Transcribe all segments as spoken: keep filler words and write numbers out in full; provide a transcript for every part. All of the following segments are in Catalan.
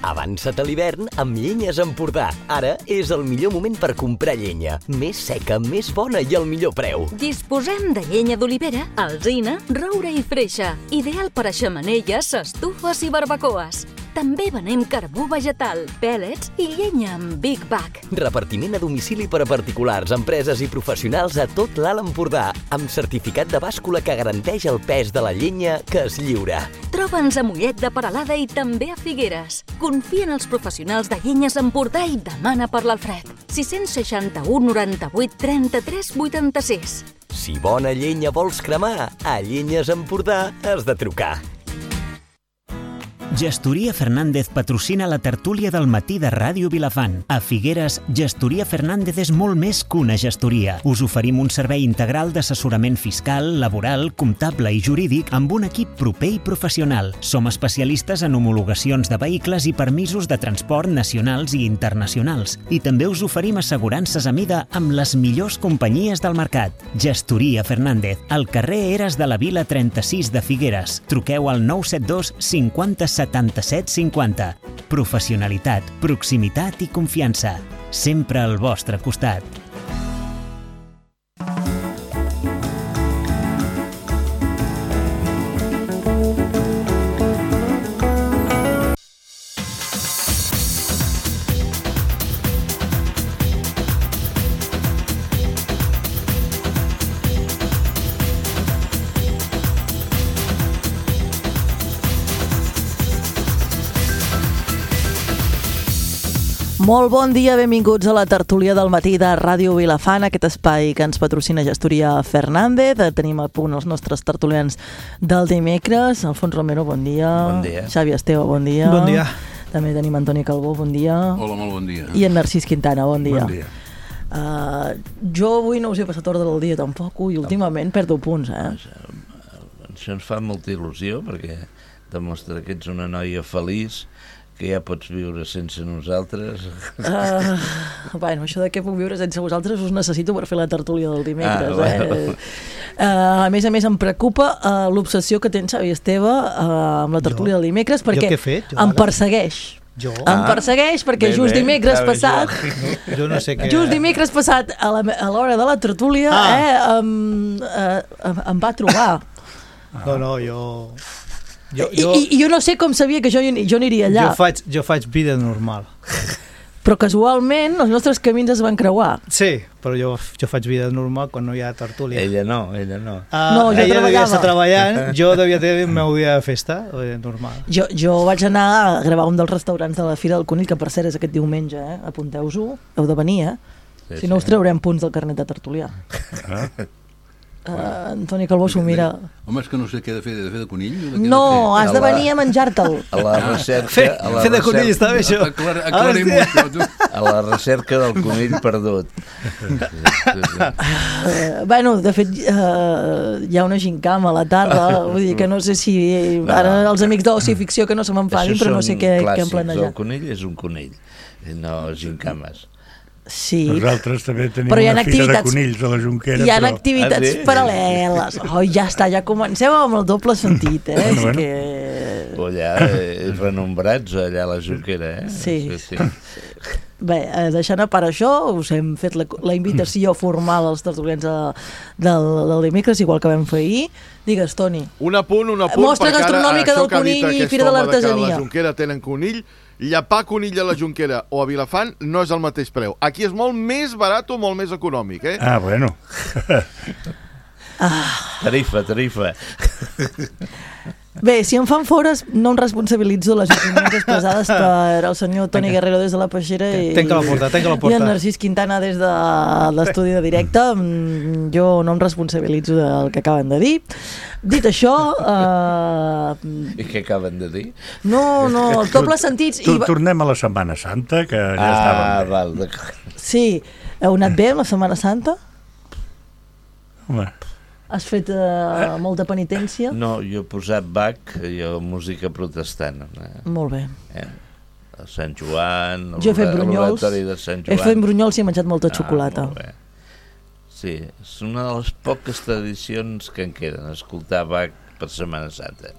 Avança't a l'hivern amb Llenyes Empordà. Ara és el millor moment per comprar llenya. Més seca, més bona i al millor preu. Disposem de llenya d'olivera, alzina, roure i freixa. Ideal per a xemeneies, estufes i barbacoes. També venem carbó vegetal, pèl·lets i llenya amb Big Bag. Repartiment a domicili per a particulars, empreses i professionals a tot l'Alt Empordà, amb certificat de bàscula que garanteix el pes de la llenya que es lliura. Troba'ns a Mollet de Peralada i també a Figueres. Confia en els professionals de Llenyes Empordà i demana per l'Alfred. sis seixanta u noranta-vuit trenta-tres vuitanta-sis. Si bona llenya vols cremar, a Llenyes Empordà has de trucar. Gestoria Fernández patrocina la tertúlia del matí de Ràdio Vilafant. A Figueres, Gestoria Fernández és molt més que una gestoria. Us oferim un servei integral d'assessorament fiscal, laboral, comptable i jurídic amb un equip proper i professional. Som especialistes en homologacions de vehicles i permisos de transport nacionals i internacionals. I també us oferim assegurances a mida amb les millors companyies del mercat. Gestoria Fernández, al carrer Eres de la Vila trenta-sis de Figueres. Truqueu al nou set dos cinquanta setanta-set cinquanta. Professionalitat, proximitat i confiança. Sempre al vostre costat. Molt bon dia, benvinguts a la tertúlia del matí de Ràdio Vilafant, aquest espai que ens patrocina Gestoria Fernández. Tenim a punt els nostres tertulians del dimecres. Alfons Romero, bon dia. Bon dia. Xavi Esteve, bon dia. Bon dia. També tenim Antoni Calbó, bon dia. Hola, molt bon dia. I en Narcís Quintana, bon dia. Bon dia. Uh, jo avui no us he passat ordre del dia tampoc i últimament perdo punts, eh? Això ens fa molta il·lusió perquè demostra que ets una noia feliç, que ja pots viure sense nosaltres. Uh, bueno, això de què puc viure sense vosaltres us necessito per fer la tertúlia del dimecres. Ah, bueno. eh? uh, a més a més em preocupa uh, l'obsessió que tens, Xavi Esteve, uh, amb la tertúlia Jo? del dimecres, perquè Jo què he fet? Jo em ara? persegueix. Jo? Em persegueix perquè bé, just bé, dimecres sabe passat jo. Jo no sé què... just dimecres passat a la- a l'hora de la tertúlia Ah. eh, em, eh, em, em va trobar. No, no, jo... Jo, I, jo, i, I jo no sé com sabia que jo, jo aniria allà. jo, faig, jo faig vida normal. Però casualment els nostres camins es van creuar. Sí, però jo, jo faig vida normal quan no hi ha tertúlia. Ella no, ella no. Ah, No, jo ella devia treballava. estar treballant, jo devia tenir el meu dia de festa, eh, normal. Jo, jo vaig anar a gravar un dels restaurants de la Fira del Conill, que per cert és aquest diumenge, eh? Apunteu-vos, heu de venir, eh? Sí, Si no us sí. traurem punts del carnet de tertulià. Ah. Uh, Antoni Calbó s'ho mira. Home, és que no sé què he de fer, he de fer de conill? O de què he No, de has de A la- venir a menjar-te'l. A la recerca... Fer, a la fer de conill recerca, està bé, això. fer? Aclar, aclarim-ho, Hòstia. això, tu. a la recerca del conill perdut. Uh, bueno, de fet, uh, hi ha una gincama a la tarda, vull dir que no sé si... Ara els amics d'Oci Ficció que no se m'enfadin, però no sé què, què han El planejat. conill és un conill, no gincames. Sí, Nosaltres també tenim Però hi ha una fira de activitats- conills a la Jonquera, hi ha però... activitats Ah, sí? paral·leles. Oh, ja està, ja comencem amb el doble sentit, eh? Bueno, És bueno. que... O allà, eh, renombrats allà a la Jonquera, eh? Sí. sí, sí. Bé, eh, deixant a part això, us hem fet la, la invitació formal als tertulians de, del, del dimecres, igual que vam fer ahir. Digues, Toni. Un apunt, un apunt, Mostra perquè ara gastronòmica això del que ha dit conill i aquest Fira de home que l'Artesania. a la Jonquera tenen conill, llapar conill a la Jonquera o a Vilafant no és el mateix preu. Aquí és molt més barat o molt més econòmic, eh? Ah, bueno. Tarifa, tarifa. Bé, si em fan fores, no em responsabilitzo les opinions expressades per el senyor Toni Guerrero des de la Peixera i, Tenca la porta, tenca la i porta. en Narcís Quintana des de l'estudi de directe. Mm, Jo no em responsabilitzo del que acaben de dir. Dit això, eh, I què acaben de dir? no, no, els dobles sentits... Tu, i va- tornem a la Setmana Santa, que ja Ah, estàvem bé. val, d'acord. Sí, heu anat bé amb la Setmana Santa? Home, Has fet uh, molta penitència? No, jo he posat Bach, jo música protestant. Eh? Molt bé. Eh? A Sant Joan, Jo he fet el brunyols, oratori de Sant he Joan. fet brunyols i he menjat molta xocolata. Ah, molt bé. Sí, és una de les poques tradicions que en queden, escoltar Bach per Setmana Santa.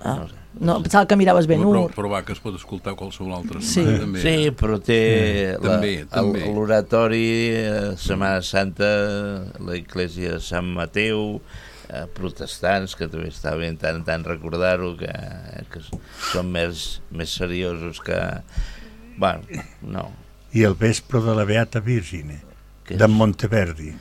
Ah. No sé. No, pensava que miraves ben Però, ur. però va, que es pot escoltar qualsevol altra Sí. setmana, també. Sí, però té Mm. la, També, també. el- l'oratori, eh, Setmana Santa, la Iglesia de Sant Mateu, eh, protestants, que també està bé tant en tant recordar-ho, que, que són més, més seriosos que... Bueno, no. I el vespre de la Beata Virgine, Què és? de Monteverdi.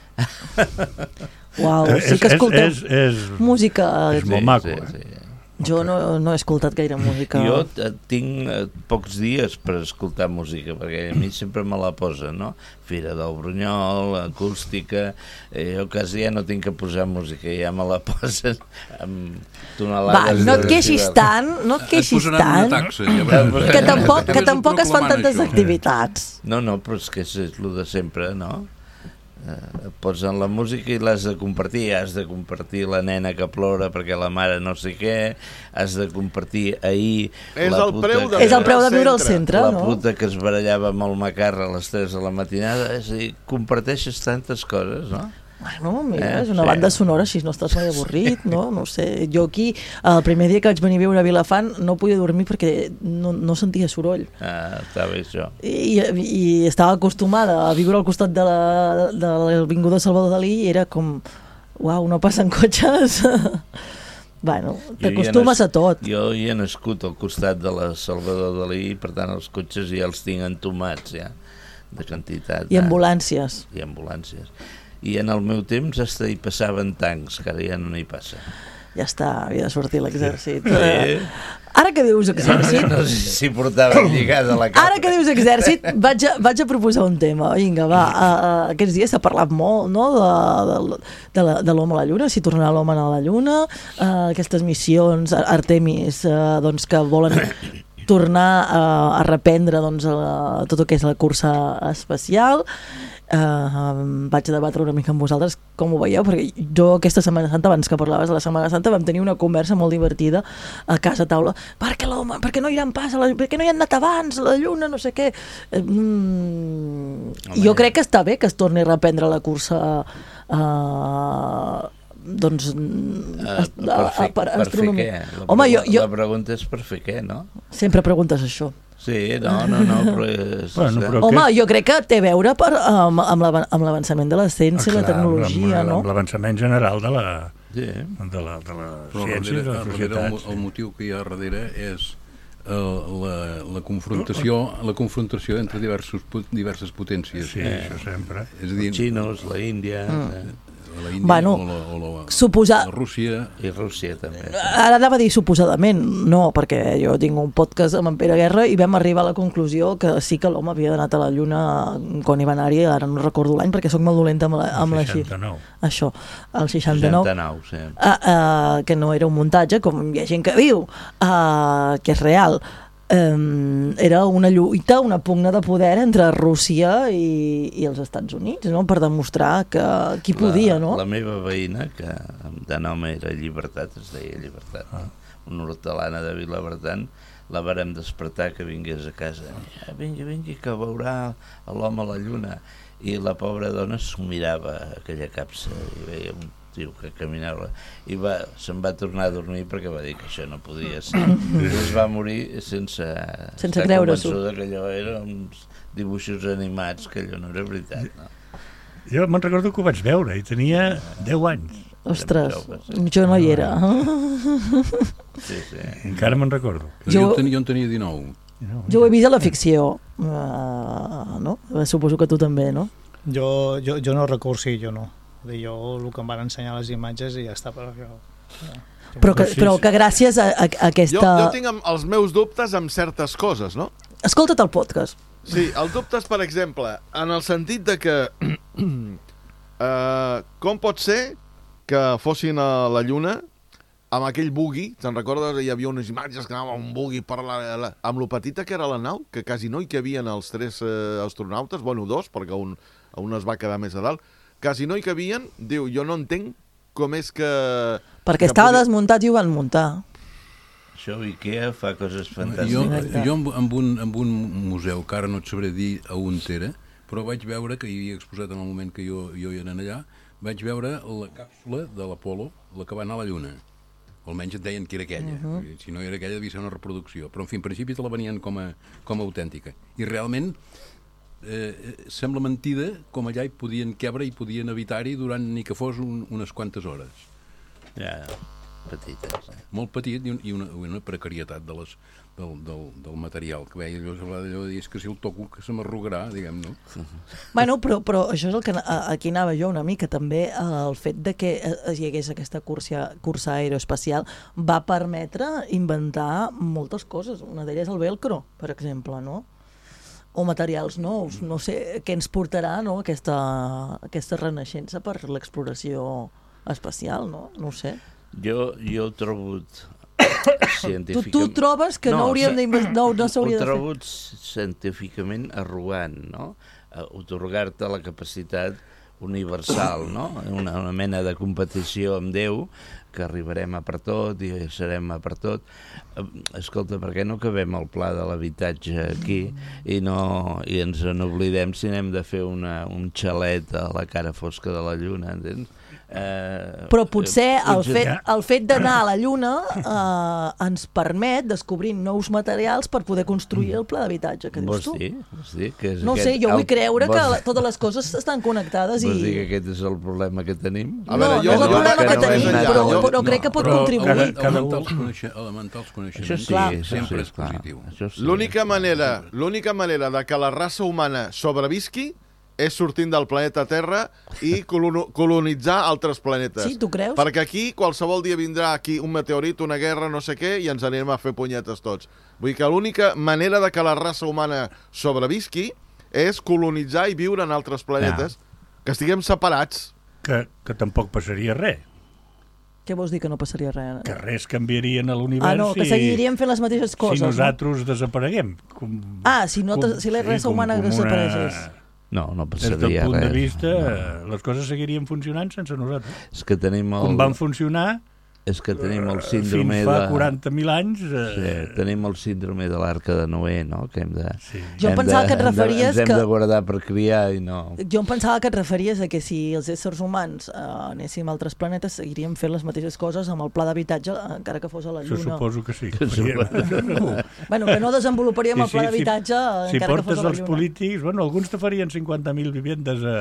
Uau, Eh, sí és- que és- escolteu és- és- música. és molt maco, sí, eh? sí. Jo no, no he escoltat gaire música. Jo eh, tinc eh, pocs dies per escoltar música, perquè a mi sempre me la posa, no? Fira del Brunyol, acústica... Eh, jo quasi ja no tinc que posar música, ja me la posen amb Va, tonelades... no de et queixis decibels. tant, no et Et queixis posaran una tant, taxa, ja veuràs. que tampoc, També que és tampoc es fan proclamant tantes això. activitats. No, no, però és que és, és el de sempre, no? Eh, posen la música i l'has de compartir, has de compartir la nena que plora perquè la mare no sé què, has de compartir ahir És la el puta preu de que- És el preu de viure al centre, la no? puta que es barallava amb el macarra a les tres de la matinada, és a dir, comparteixes tantes coses, no? Bueno, mira, Eh, és una sí. banda sonora, així no estàs mai avorrit, no? No ho sé. Jo aquí, el primer dia que vaig venir a viure a Vilafant, no podia dormir perquè no, no sentia soroll. Ah, està bé això. I, i estava acostumada a viure al costat de la- de l'Avinguda Salvador Dalí i era com, uau, no passen cotxes. Bueno, Jo hi he t'acostumes nas- a tot. Jo hi he nascut al costat de la Salvador Dalí, per tant els cotxes ja els tinc entomats, ja, de quantitat. I ambulàncies. I ambulàncies. I en el meu temps hasta hi passaven tancs, que ara ja no n'hi passa. Ja està, havia de sortir l'exèrcit. Sí. Ara que dius exèrcit, No sé si portaven lligada la cara. ara que dius exèrcit, vaig a, vaig a proposar un tema. Vinga, va, uh, uh, aquests dies s'ha parlat molt, no?, de, de, de, la- de l'home a la Lluna, si tornarà l'home a la Lluna, uh, aquestes missions, Artemis, uh, doncs que volen tornar a, a reprendre doncs, a, tot el que és la cursa espacial. Uh, vaig a debatre una mica amb vosaltres com ho veieu, perquè jo aquesta Setmana Santa, abans que parlaves de la Setmana Santa, vam tenir una conversa molt divertida a casa a taula. Per què l'home, per què no iran pas a la, per què no hi han anat abans a la Lluna, no sé què. Eh, mm, jo crec que està bé que es torni a reprendre la cursa uh, doncs Uh, per, fer, per fer què? La, Home, jo, jo la pregunta és per fer què, no? sempre preguntes això. Sí, no, no, no, però és... Bueno, però Home, aquest- jo crec que té a veure per, amb, amb l'avan- amb l'avançament de la ciència i la Ah, clar, tecnologia, amb, no? amb l'avançament general de la, Sí. de la, de la Però ciència i de darrere, la darrere el, societat. mo- el motiu que hi ha darrere és eh, la, la, confrontació, la confrontació entre diversos, pu- diverses potències. Sí, això sempre. És a dir, Els xinos, la Índia... Mm. la Índia Bueno, o, la, o la, suposar- la Rússia. I Rússia també. Ara anava a dir suposadament, no, perquè jo tinc un podcast amb en Pere Guerra i vam arribar a la conclusió que sí que l'home havia d'anar a la Lluna quan hi va anar-hi, ara no recordo l'any perquè sóc molt dolenta amb la, amb la xifra. seixanta-nou. Això, el seixanta-nou. seixanta-nou, sí. Uh, uh, que no era un muntatge, com hi ha gent que diu, uh, que és real. Um, era una lluita, una pugna de poder entre Rússia i, i els Estats Units, no?, per demostrar que qui podia, no? La, la meva veïna, que de nom era Llibertat, es deia Llibertat, ah. una hortelana de Vilabertran, la vàrem despertar que vingués a casa. Ah, vingui, vingui, que veurà l'home a la lluna. I la pobra dona s'ho mirava, aquella capsa, i veia un tio que caminava, i va, se'n va tornar a dormir perquè va dir que això no podia ser. I es va morir sense, Sense estar creure-s'ho. convençuda que allò eren uns dibuixos animats, que allò no era veritat, no? Jo me'n recordo que ho vaig veure i tenia deu anys. Ostres, jo no hi era. Sí, sí. Encara me'n recordo. Jo, jo, tenia, jo en tenia dinou. Jo ho he vist a la ficció, uh, no? Suposo que tu també, no? Jo, jo, jo no recordo, sí, jo no. Jo el que em van ensenyar les imatges i ja està, però jo... Però que, però que gràcies a, a, a aquesta... Jo, jo tinc amb- els meus dubtes amb certes coses, no? Escolta't el podcast. Sí, el dubte és, per exemple, en el sentit de que uh, com pot ser que fossin a la Lluna amb aquell buggy, te'n recordes? Hi havia unes imatges que anava un buggy per la, la, amb lo petita que era la nau, que quasi no hi cabien els tres uh, astronautes, bueno, dos, perquè un, un es va quedar més a dalt, quasi no hi cabien, diu, jo no entenc com és que... Perquè que estava podia... desmuntat i ho van muntar. Això IKEA fa coses Jo, fantàstiques. jo amb, amb, un, amb un museu, que ara no et sabré dir a on era, però vaig veure, que hi havia exposat en el moment que jo, jo hi era allà, vaig veure la càpsula de l'Apolo, la que va anar a la Lluna. o almenys et deien que era aquella. Uh-huh. Si no era aquella, devia ser una reproducció. Però, en fi, en principi te la venien com a, com a autèntica. I realment eh, sembla mentida com allà hi podien quebre i podien evitar-hi durant ni que fos un, unes quantes hores. Ja, petites. Eh? Molt petit i, un, i una, una precarietat de les, del, del, del material que veia allò, allò de dir, és que si el toco que se m'arrugarà, diguem, no? Bueno, però, però això és el que aquí anava jo una mica, també el fet de que hi hagués aquesta cursa, cursa aeroespacial va permetre inventar moltes coses. Una d'elles el velcro, per exemple, no? O materials nous, no sé, què ens portarà, no?, aquesta, aquesta renaixença per l'exploració espacial, no? No ho sé. Jo, jo he trobat científicament... Tu, tu trobes que no, no hauríem d'investigar... No, no s'hauria de fer. Ho trobat científicament arrogant, no? Otorgar-te la capacitat universal, no? Una, una mena de competició amb Déu, que arribarem a per tot i serem a per tot. Escolta, per què no acabem el pla de l'habitatge aquí i, no, i ens n'oblidem si anem de fer una, un xalet a la cara fosca de la Lluna, entens? Eh, Però potser el fet, el fet d'anar a la Lluna eh, ens permet descobrir nous materials per poder construir el pla d'habitatge, que dius tu. Vols dir? Vols dir que és no aquest, sé, jo vull el, creure vols, que la, totes les coses estan connectades. Vols i... dir que aquest és el problema que tenim? A veure, no, jo, no és el problema que, que no tenim, però, però, però crec que pot però contribuir. Elementar els, coneixements, elementar els coneixements això sí, això sempre sí, és positiu. Sí. L'única manera, l'única manera de que la raça humana sobrevisqui és sortint del planeta Terra i colonitzar altres planetes. Sí, tu creus? Perquè aquí qualsevol dia vindrà aquí un meteorit, una guerra, no sé què, i ens anirem a fer punyetes tots. Vull dir que l'única manera de que la raça humana sobrevisqui és colonitzar i viure en altres planetes, ja. Que estiguem separats. Que, que tampoc passaria res. Què vols dir que no passaria res? Que res canviarien a l'univers. Ah, no, que seguiríem fent les mateixes coses. Si nosaltres no? desapareguem. Com, ah, si, no com, si la raça sí, humana com, com desapareixés. Una... No, no passaria res. Des del punt res. de vista, no. les coses seguirien funcionant sense nosaltres. És que tenim el... Com van funcionar... És que tenim el síndrome fins fa de... quaranta mil anys... Eh... Sí, tenim el síndrome de l'arca de Noé, no? Que hem de... Sí. Jo em pensava de, que et referies ens hem que... de guardar per criar i no... Jo em pensava que et referies a que si els éssers humans eh, anéssim a altres planetes seguiríem fent les mateixes coses amb el pla d'habitatge, encara que fos a la Lluna. Això suposo que sí. Que no. Bueno, que no desenvoluparíem sí, el pla d'habitatge si, encara si que fos a la Lluna. Si portes els polítics, bueno, alguns te farien cinquanta mil vivendes a...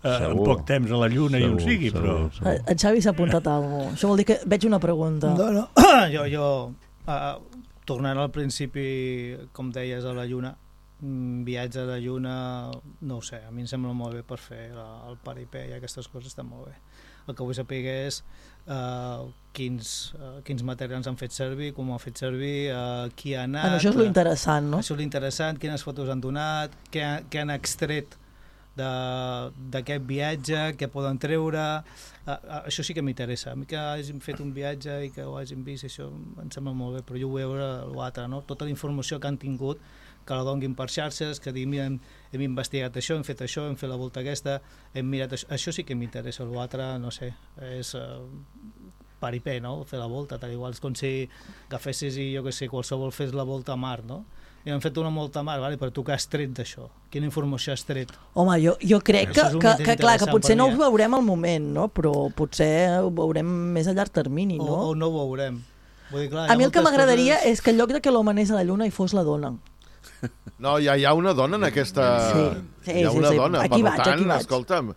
Uh, en poc temps a la Lluna segur, i on sigui, segur, però... Segur. En Xavi s'ha apuntat alguna cosa. Això vol dir que veig una pregunta. No, no. jo, jo uh, tornant al principi, com deies, a la Lluna, viatge a la Lluna, no ho sé, a mi em sembla molt bé per fer la, el paripé i aquestes coses estan molt bé. El que vull saber és uh, quins, uh, quins materials han fet servir, com ho han fet servir, uh, qui ha anat... Bueno, això és lo interessant, no? Això és lo interessant, quines fotos han donat, què, què han extret d'aquest viatge, què poden treure, uh, uh, això sí que m'interessa. A mi que hagin fet un viatge i que ho hagin vist, això em sembla molt bé, però jo vull veure l'altre, no? Tota la informació que han tingut, que la donguin per xarxes, que diguin, mira, hem, hem investigat això, hem fet això, hem fet la volta aquesta, hem mirat això, això sí que m'interessa. L'altre, no sé, és uh, paripé, no? Fer la volta, tal igual, és com si agafessis i jo que sé, qualsevol fes la volta a Mart, no? I han fet una molta mar, vale? Però tu què has tret d'això? Quina informació has tret? Home, jo, jo crec que, que, que, clar, que potser no ho veurem al moment, no? Però potser ho veurem més a llarg termini, no? O, o no ho veurem. Vull dir, clar, a mi el que m'agradaria coses... és que en lloc de que l'home anés a la Lluna hi fos la dona. No, ja hi ha una dona en aquesta... Sí, sí, hi ha una sí, sí. dona, aquí per vaig, tant, aquí vaig. Escolta'm,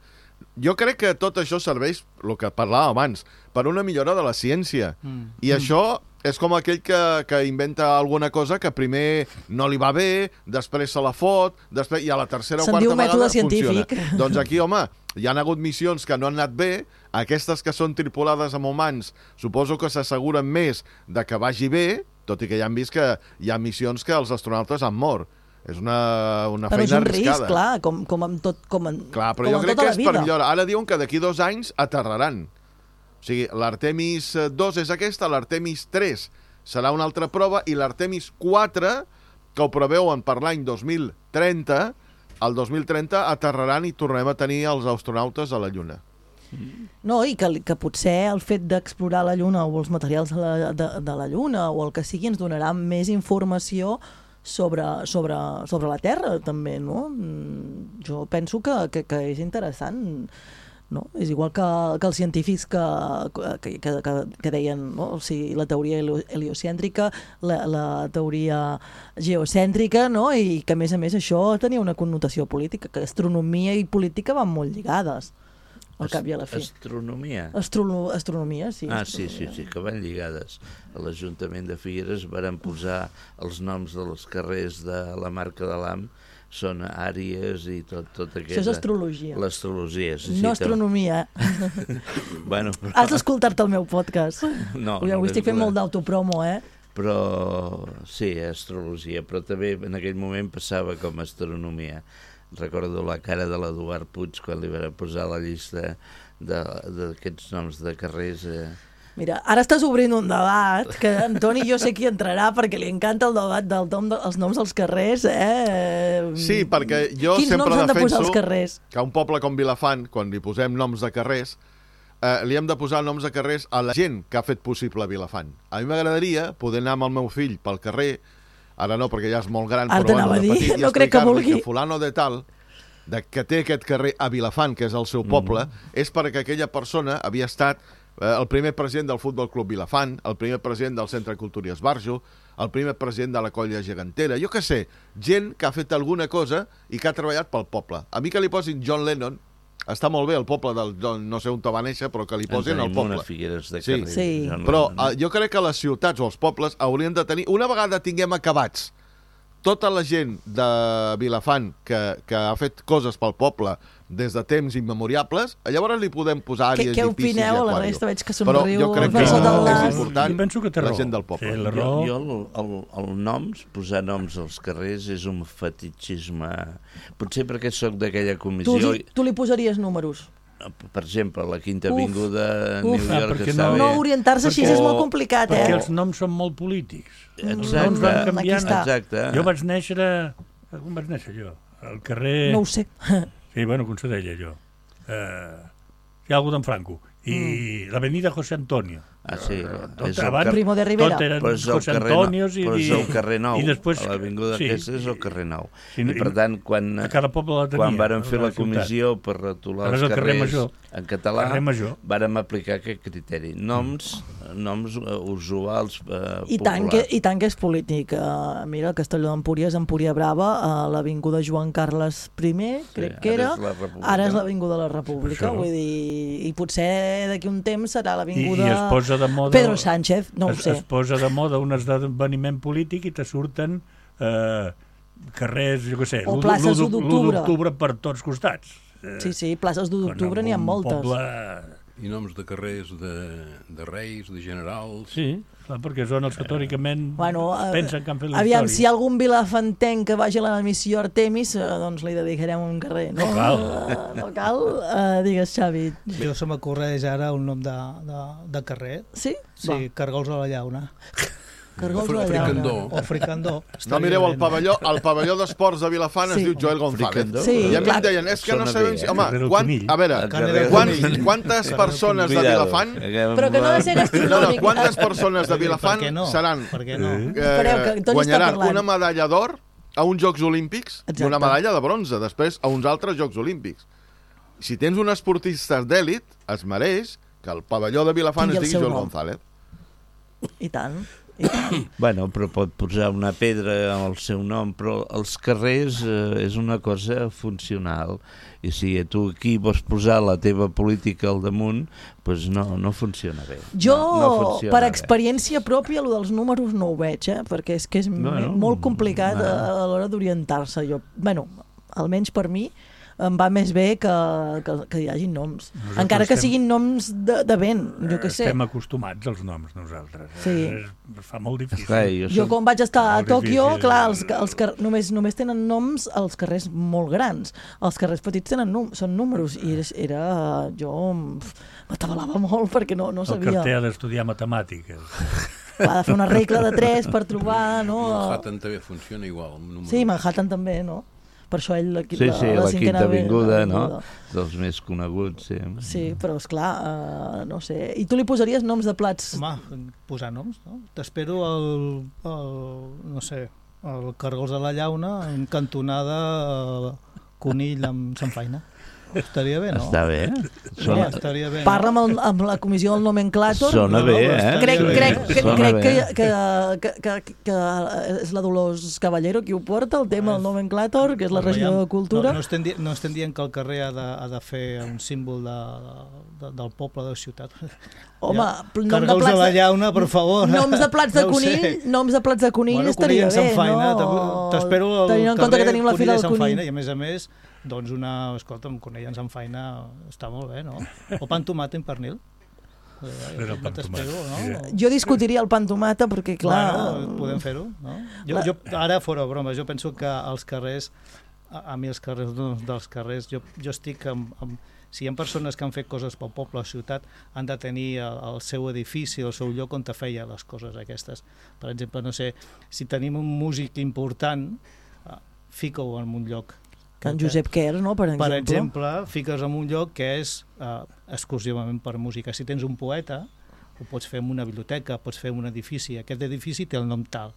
jo crec que tot això serveix, el que parlàvem abans, per una millora de la ciència. Mm. I mm. això... És com aquell que, que inventa alguna cosa que primer no li va bé, després se la fot, després, i a la tercera o quarta vegada funciona. Doncs aquí, home, hi han hagut missions que no han anat bé, aquestes que són tripulades amb humans suposo que s'asseguren més de que vagi bé, tot i que ja han vist que hi ha missions que els astronautes han mort. És una, una però feina arriscada. Però és un risc, clar, com, com amb tot, com en, clar, però com jo en crec tota que la és vida. per millora. Ara diuen que d'aquí dos anys aterraran. O sigui, l'Artemis dos és aquesta, l'Artemis tres serà una altra prova, i l'Artemis quatre, que ho preveuen per l'any dos mil trenta, el dos mil trenta aterraran i tornarem a tenir els astronautes a la Lluna. No, i que, que potser el fet d'explorar la Lluna o els materials de la, de, de la Lluna o el que sigui ens donarà més informació sobre, sobre, sobre la Terra, també, no? Jo penso que, que, que és interessant. no? És igual que, que els científics que, que, que, que deien, no? O sigui, la teoria heliocèntrica, la, la teoria geocèntrica, no? I que a més a més això tenia una connotació política, que astronomia i política van molt lligades al cap i a la fi. Astronomia? Astrono, astronomia, sí. Ah, astronomia. sí, sí, sí, que van lligades. A l'Ajuntament de Figueres varen posar els noms dels carrers de la marca de l'A M, són àries i tot, tot aquest... Això és astrologia. L'astrologia, sí. No sí, astronomia. bueno, però... Has d'escoltar-te el meu podcast. No, Ui, avui no estic fent molt d'autopromo, eh? Però sí, astrologia, però també en aquell moment passava com astronomia. Recordo la cara de l'Eduard Puig quan li van posar la llista d'aquests noms de carrers... Eh. Mira, ara estàs obrint un debat que Antoni jo sé qui entrarà perquè li encanta el debat dels nom de, noms dels carrers, eh? Sí, perquè jo Quins sempre noms han de posar defenso els carrers? que a un poble com Vilafant, quan li posem noms de carrers, eh, li hem de posar noms de carrers a la gent que ha fet possible Vilafant. A mi m'agradaria poder anar amb el meu fill pel carrer, ara no perquè ja és molt gran, Ara però t'anava bueno, a dir, de petit, i no crec que explicar-li vulgui. que fulano de tal, de que té aquest carrer a Vilafant, que és el seu poble, mm. és perquè aquella persona havia estat eh, el primer president del Futbol Club Vilafant, el primer president del Centre Cultura i Esbarjo, el primer president de la Colla Gegantera, jo què sé, gent que ha fet alguna cosa i que ha treballat pel poble. A mi que li posin John Lennon, està molt bé el poble del John, no sé on te va néixer, però que li posin el poble. Unes Figueres de sí. carrer. Sí. Però eh, jo crec que les ciutats o els pobles haurien de tenir, una vegada tinguem acabats tota la gent de Vilafant que, que ha fet coses pel poble des de temps immemoriables, llavors li podem posar àrees Què i piscis i opineu? La aquàrium. resta veig que Però somriu. jo crec per que sota el és nas. important Jo penso que té la raó. gent del poble. Té la Jo, raó. jo el, el, el noms, posar noms als carrers és un fetichisme. Potser perquè sóc d'aquella Tu, comissió... li- tu li posaries números. Per exemple, la Quinta Uf, Avinguda a uf. New Ah, York perquè està no- bé. No orientar-se així Perquè- és molt complicat, eh? Perquè els noms són molt polítics. Els Exacte, noms van Aquí canviant. està. exacte. Jo vaig néixer a... Com vaig néixer jo? Al carrer... No ho sé. Sí, bueno, com se deia jo. Uh, hi ha algú d'en Franco. I mm. l'avenida José Antonio. Ah, sí. Tot, És el abans, car- Primo de Rivera. tot eren Però és el José carrer, Antonios i, però és el carrer Nou, i després, a l'avinguda sí, aquesta és el carrer Nou. Sí, I per tant, quan, a cada poble la tenia, quan varen fer a la la comissió per retolar Ara és els el carrer carrers Major. en català, Carrer Major. vàrem aplicar aquest criteri. Noms, noms uh, usuals uh, I tant, que, populars. I tant que és polític. Uh, mira, el Castelló d'Empúries, Empúria Brava, a l'avinguda Joan Carles I, crec que ara era, és la República. ara és l'avinguda de la República. Això. Vull dir, i potser d'aquí un temps serà I, l'avinguda I es posa de moda... Pedro Sánchez, no ho es, sé. es posa de moda un esdeveniment polític i te surten eh, carrers, jo què sé, O l'u places l'u u d'octubre. d'octubre per tots costats. Eh, Sí, sí, places d'u d'octubre quan n'hi ha un moltes. Poble... I noms de carrers de, de reis, de generals... Sí, clar, perquè són els que teòricament Bueno, eh, pensen que han fet la aviam, història. si hi ha algun vilafantenc que vagi a la missió Artemis, eh, doncs li dedicarem un carrer. No, No cal. Eh, no cal? Uh, digues, Xavi. Jo se m'acorreix ara un nom de, de, de carrer. Sí? Sí, Cargols a la Llauna. Cargols Fri- de Fricandó. llauna. O Fricandó. No, mireu, el pavelló, el pavelló d'esports de Vilafant Sí. es diu Joel González. Fricandó? Sí, I a mi clar. em deien, és que no Sona sabem bé, si... eh? Home, Carrer del quan, Conill. a veure, El carrer del quants, Conill. quantes persones de Cuidado. Vilafant... Però que no ha de ser No, no, gastronòmic. quantes persones de Per Vilafant què no? seran... Per què no? Eh? Espereu, que Eh, Toni està guanyaran parlant. una medalla d'or a uns Jocs Olímpics Exacte. i una medalla de bronze, després a uns altres Jocs Olímpics. Si tens un esportista d'èlit, es mereix que el pavelló de Vilafant Tingui es el digui seu Joel nom. González. I tant. I tant. Bueno, però pot posar una pedra al seu nom, però els carrers eh, és una cosa funcional. I si tu aquí vols posar la teva política al damunt, doncs no, no funciona bé. Jo, no, no funciona per bé. experiència pròpia, el dels números no ho veig, eh? Perquè és que és Bueno, bueno, molt complicat bueno. a, a l'hora d'orientar-se. Jo, bueno, almenys per mi, em va més bé que, que, que hi hagin noms. Nosaltres Encara que estem- siguin noms de, de vent, jo què sé. Estem acostumats als noms, nosaltres. Sí. Es, es fa molt difícil. Esclar, jo Jo soc- quan vaig estar a Molt Tòquio, difícil. clar, els, els car només, només tenen noms els carrers molt grans. Els carrers petits tenen num són números i era, era jo pf, m'atabalava molt perquè no, no El sabia. carter ha d'estudiar matemàtiques. Ha de fer una regla de tres per trobar, no? Manhattan també funciona igual. amb números. Sí, Manhattan també, no? Per això ell, la, Sí, sí, la, la, la cinquena Quinta Avinguda, no? avinguda. Dels més coneguts, sí. Sí, però esclar, uh, no sé. I tu li posaries noms de plats? Home, posar noms, no? T'espero el, el, no sé, el Cargols de la Llauna en cantonada eh, Conill amb Sant Faina. Estaria bé, no? Està bé. Sona... Estaria bé, Parla no? amb, el, amb la comissió del nomenclàtor. Sona bé, eh? Crec, crec, crec, Sona crec bé. que, que, que, que, que és la Dolors Caballero qui ho porta, el tema del nomenclàtor, que és la regidora de Cultura. No, no, estem di no estem dient que el carrer ha de, ha de fer un símbol de, de, del poble de la ciutat. Home, ja. nom de Cargols plats de la llauna, per favor. Noms de plats de No ho conill, sé. noms de plats de conill Bueno, estaria conill bé, en faina, no? T'espero al Tenint en compte que tenim la fira del conill. conill. Faina, I a més a més, doncs una, escolta, un conill en faina està molt bé, no? O pa amb tomata i pernil. Però pa amb t'espero, tomata. no? Jo discutiria el pa amb tomata perquè, clar... Bueno, podem fer-ho, no? Jo, jo, ara, fora broma, jo penso que als carrers, a, a mi els carrers dels carrers, jo, jo estic amb, amb... Si hi ha persones que han fet coses pel poble o ciutat, han de tenir el, el seu edifici, el seu lloc on te feia les coses aquestes. Per exemple, no sé, si tenim un músic important, uh, fica-ho en un lloc. En Josep Quer, no?, per exemple. Per exemple, fiques en un lloc que és uh, exclusivament per música. Si tens un poeta, ho pots fer en una biblioteca, pots fer en un edifici. Aquest edifici té el nom tal.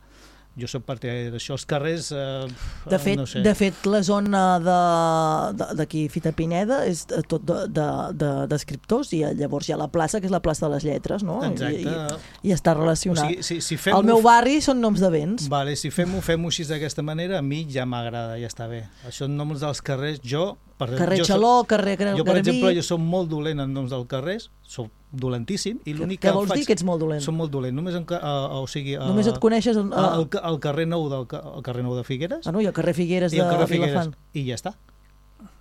Jo soc partidari d'això. Els carrers, eh, De fet, no sé. de fet la zona de- de- d'aquí, Fita Pineda, és tot d'escriptors, de, de, i llavors hi ha la plaça, que és la plaça de les lletres, no? Exacte. I, i, i està relacionat. O sigui, si, si fem El meu barri són noms de béns. Vale, si fem-ho fem així d'aquesta manera, a mi ja m'agrada, ja està bé. Això en noms dels carrers, jo... Per, Carrer jo Xaló, soc, carrer Garbí... Jo, per exemple, jo soc molt dolent en noms dels carrers, soc dolentíssim, i l'únic que Què vols faig... dir que ets molt dolent? Soc molt dolent, només en, ca- a, o sigui... A, Només et coneixes... A, a, al, al carrer nou del ca- al carrer nou de Figueres, Ah, no, i el carrer Figueres i de al carrer Figueres, Vilafant. i ja està.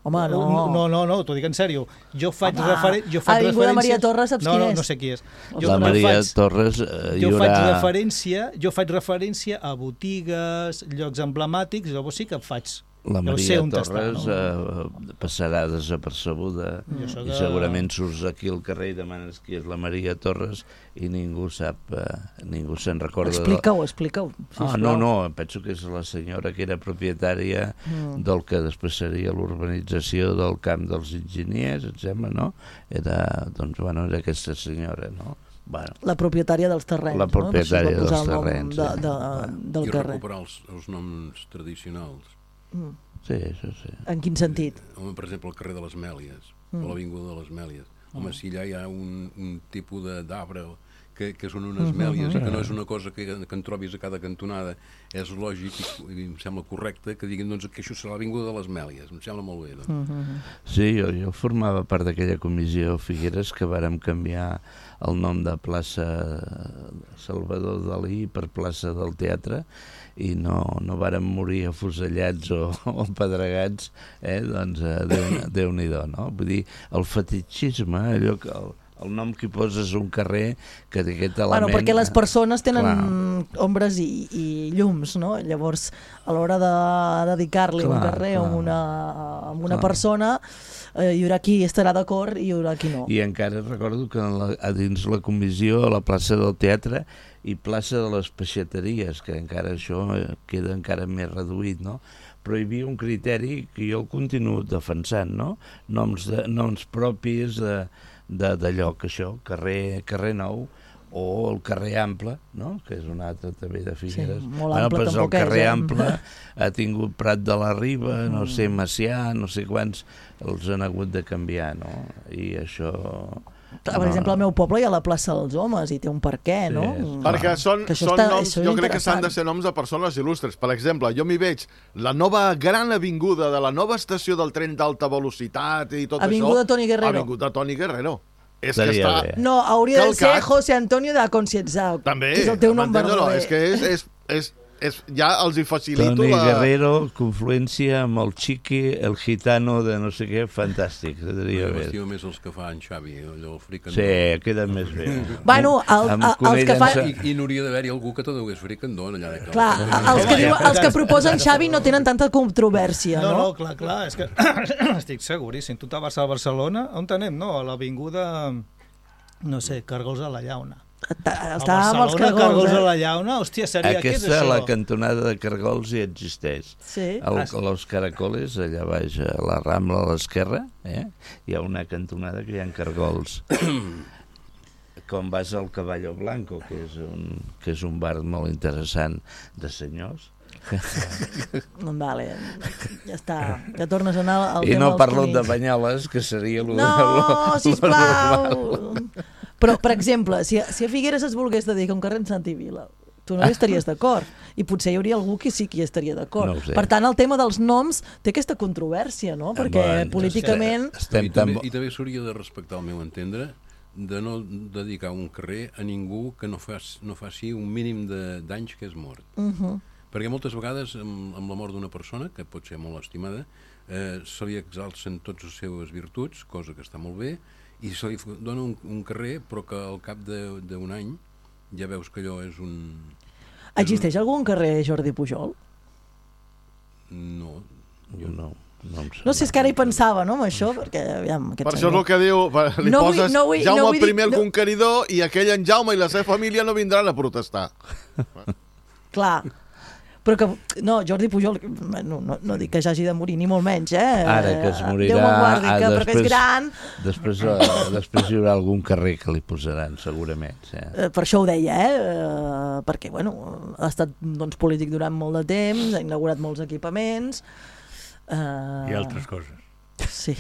Home, no. No, no, no, no t'ho dic en sèrio. Jo faig, Home, referen jo faig Avinguda referència... Maria Torres, saps no, quin no, és? no sé qui és. La Maria faig, Torres, eh, hi jo haurà... faig referència, jo faig referència a botigues, llocs emblemàtics, llavors sí que faig. La Jo Maria sé on Torres està, no? eh, passarà desapercebuda Jo sóc i de- segurament surts aquí al carrer i demanes qui és la Maria Torres i ningú sap, eh, ningú se'n recorda. de- Explica-ho, explica-ho. Ah, no, no, penso que és la senyora que era propietària Mm. del que després seria l'urbanització del camp dels enginyers, et sembla, no? Era, doncs, bueno, era aquesta senyora, no? Bueno, La propietària dels terrenys, La no? Per això es va propietària posar dels el nom terrenys, de, sí. de, del I carrer. recuperar els, els noms tradicionals. Mm. sí, això sí. En quin sentit? Home, per exemple, el carrer de les Mèlies, Mm. o l'Avinguda de les Mèlies. Home, si allà hi ha un, un tipus de- d'arbre que, que són unes Mhm. mèlies, que no és una cosa que, que en trobis a cada cantonada, és lògic i, i em sembla correcte que diguin doncs, que això serà l'Avinguda de les Mèlies. Em sembla molt bé. Doncs. Mm-hmm. Sí, jo, jo formava part d'aquella comissió Figueres que vàrem canviar el nom de plaça Salvador Dalí per plaça del Teatre i no, no vàrem morir afusellats o, o pedregats, eh? Doncs eh, Déu- Déu-n'hi-do, no? Vull dir, el fetichisme, allò que... El, el nom que hi poses un carrer que té aquest element... Bueno, perquè les persones tenen Clar. ombres i, i llums, no? Llavors, a l'hora de dedicar-li un Clar, carrer a clar. una, a una Clar. persona, eh, hi haurà qui estarà d'acord i hi haurà qui no. I encara recordo que en la, a dins la comissió, a la plaça del Teatre i plaça de les Peixateries, que encara això eh, queda encara més reduït, no? Però hi havia un criteri que jo el continuo defensant, no? Noms, de, noms propis de, de, de lloc, això, carrer, carrer Nou, o el carrer Ample, no? Que és un altre també de Figueres. Sí, molt ample pues el tampoc és, carrer eh? Ample ha tingut Prat de la Riba, no Mm. sé, Macià, no sé quants, els han hagut de canviar, no? I això... Per no, exemple, al meu poble hi ha la plaça dels Homes i té un per què, Sí, no? és- Mm. Perquè són, Que això són està- noms, això és jo crec que s'han de interessant. ser noms de persones il·lustres. Per exemple, jo m'hi veig la nova gran avinguda de la nova estació del tren d'alta velocitat i tot Avinguda això. Toni Guerrero. Avinguda Toni Guerrero. És Estaria que està... bé. No, hauria de ser Calcat. José Antonio de Concienzao. També. Que és el teu nom m'entens o no? verdader. És que és, és, és, és, ja els hi facilito Toni la... Guerrero, confluència amb el Chiqui, el gitano de no sé què, fantàstic, quedaria bé. M'estimo més els que fa en Xavi, allò el fricandó. Sí, queda més bé. Bueno, el, Amb el, els Cunell que fa... en sa- I, I n'hauria d'haver-hi algú que te dugués fricandó allà de Clar, els que, diu, els que proposen Xavi no tenen tanta controvèrsia, No, no? no, clar, clar, és que estic seguríssim. Tu te vas a Barcelona, on anem, no? A l'avinguda, no sé, Cargols a la Llauna. Està A està amb els Barcelona, cargols, Cargols a eh? la Llauna, hòstia, seria què és Aquesta, això? la cantonada de Cargols, hi existeix. Sí. El, Ah, sí. Los Caracoles, allà baix a la Rambla a l'esquerra, eh? Hi ha una cantonada que hi ha cargols. Com vas al Caballo Blanco, que és un, que és un bar molt interessant de senyors. Vale, ja està. Ja tornes a anar al I tema no dels parlo conills. de Banyoles, que seria lo, No, lo, sisplau! lo Però, per exemple, si, si a Figueres es volgués dedicar un carrer en Santi Vila, tu no hi estaries d'acord. I potser hi hauria algú que sí que hi estaria d'acord. No ho sé. Per tant, el tema dels noms té aquesta controvèrsia, no? Perquè Bueno, políticament... estem I també, tan... i també s'hauria de respectar, al meu entendre, de no dedicar un carrer a ningú que no, fas, no faci un mínim de d'anys que és mort. Uh -huh. Perquè moltes vegades, amb, amb la mort d'una persona, que pot ser molt estimada, eh, se li exalcen tots les seves virtuts, cosa que està molt bé, i se li dona un, un carrer, però que al cap d'un any ja veus que allò és un... Existeix algun carrer Jordi Pujol? No, Jo no. No, em No sé, és que ara hi pensava, no, amb això, perquè, aviam, aquest Per això és senyor... el que diu, per- li No vull- poses no vull- Jaume no el vull dir- primer el no- conqueridor i aquell en Jaume i la seva família no vindran a protestar. Clar, però que... No, Jordi Pujol, no, no, no dic que ja hagi de morir, ni molt menys, eh? Ara que es morirà... Déu me'n guardi, ah, que, però que és gran... Després, eh, després hi haurà algun carrer que li posaran, segurament. Sí. Eh, Per això ho deia, eh? eh? Perquè, bueno, ha estat doncs, polític durant molt de temps, ha inaugurat molts equipaments... Eh... I altres coses. Sí,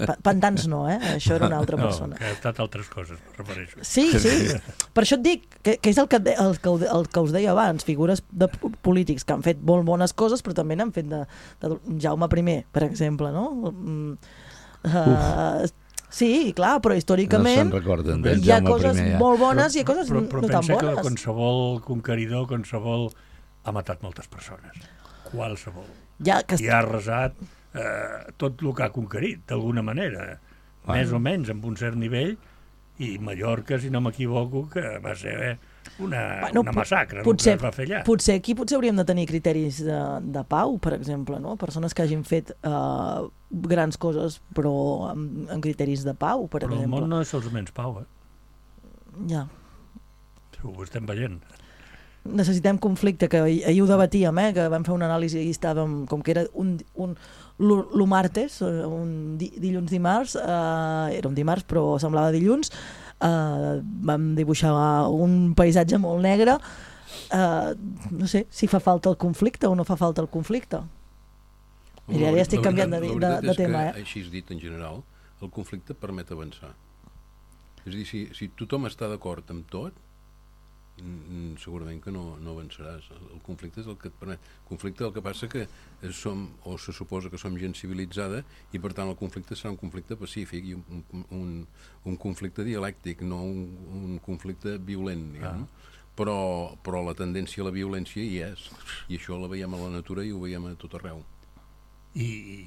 Pa- pantans no, eh? Això era una altra No, persona. que ha estat altres coses, em refereixo. Sí, sí, per això et dic que, que és el que, de- el, que, el que us deia abans, figures de p- polítics que han fet molt bones coses, però també n'han fet de, de Jaume I, per exemple, no? Mm, uh, sí, clar, però No històricament se'n recorden del hi ha Jaume coses I, ja. molt bones i hi ha coses però, però no tan pensa que bones. qualsevol conqueridor, qualsevol ha matat moltes persones. Qualsevol. Ja, que... I ha arrasat eh, tot el que ha conquerit, d'alguna manera. Bueno. Més o menys, amb un cert nivell, i Mallorca, si no m'equivoco, que va ser una, Bueno, una pot- massacre, potser, el que es va fer allà. potser aquí potser hauríem de tenir criteris de, de pau, per exemple, no? Persones que hagin fet uh, grans coses però amb, amb criteris de pau, per Però el exemple. món no és solament pau, eh? Ja. Ho estem veient. Necessitem conflicte, que ahir ahir ho debatíem, eh? Que vam fer una anàlisi i estàvem, com que era un, un l'u martes, eh, un di, dilluns dimarts, eh, era un dimarts però semblava dilluns, eh, vam dibuixar un paisatge molt negre, eh, no sé si fa falta el conflicte o no fa falta el conflicte. Mira, ara ja estic La canviant de, veritat- de, la de veritat tema, és que, eh? així dit en general, el conflicte permet avançar. És a dir, si, si tothom està d'acord amb tot, mm, segurament que no, no avançaràs. El conflicte és el que et permet. El conflicte el que passa que som, o se suposa que som gent civilitzada, i per tant el conflicte serà un conflicte pacífic i un, un, un conflicte dialèctic, no un, un conflicte violent, diguem. Ah. Però, però la tendència a la violència hi és, i això la veiem a la natura i ho veiem a tot arreu. I,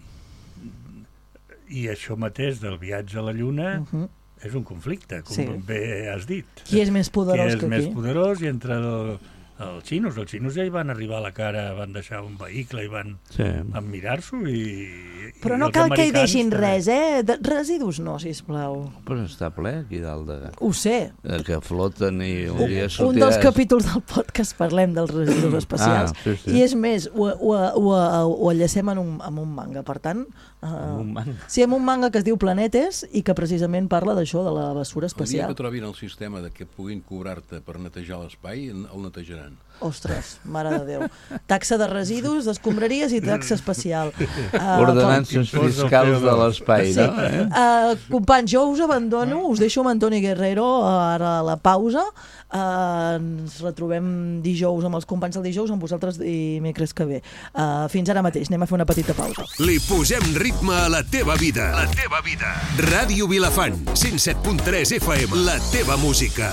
i això mateix del viatge a la Lluna Uh -huh. és un conflicte, com Sí. bé has dit. Qui és més poderós Qui és que més qui? poderós, i entre el, els xinos, els xinos ja hi van arribar a la cara, van deixar un vehicle i van, Sí. van mirar-s'ho i, Però i no els cal que hi americans deixin també. res, eh? De, residus no, sisplau. Però està ple aquí dalt de... Ho sé. de que floten i un Un, dia un sortiràs... dels capítols del podcast parlem dels residus espacials. Ah, sí, sí. I és més, ho, ho, ho, ho enllacem en un, en un manga. Per tant, uh, Amb un manga. sí, en un manga que es diu Planetes i que precisament parla d'això, de la bessura El dia espacial. que trobin el sistema de que puguin cobrar-te per netejar l'espai, el netejaran. Ostres, mare de Déu. Taxa de residus, d'escombraries i taxa espacial. Uh, Ordenances Impost del fiscals C O dos. de l'espai, Sí. no? Eh? Uh, companys, jo us abandono, us deixo amb Antoni Guerrero ara a la pausa. Uh, ens retrobem dijous amb els companys del dijous, amb vosaltres dimecres que ve. Uh, fins ara mateix, anem a fer una petita pausa. Li posem ritme a la teva vida. La teva vida. Ràdio Vilafant, cent set punt tres F M. La teva música.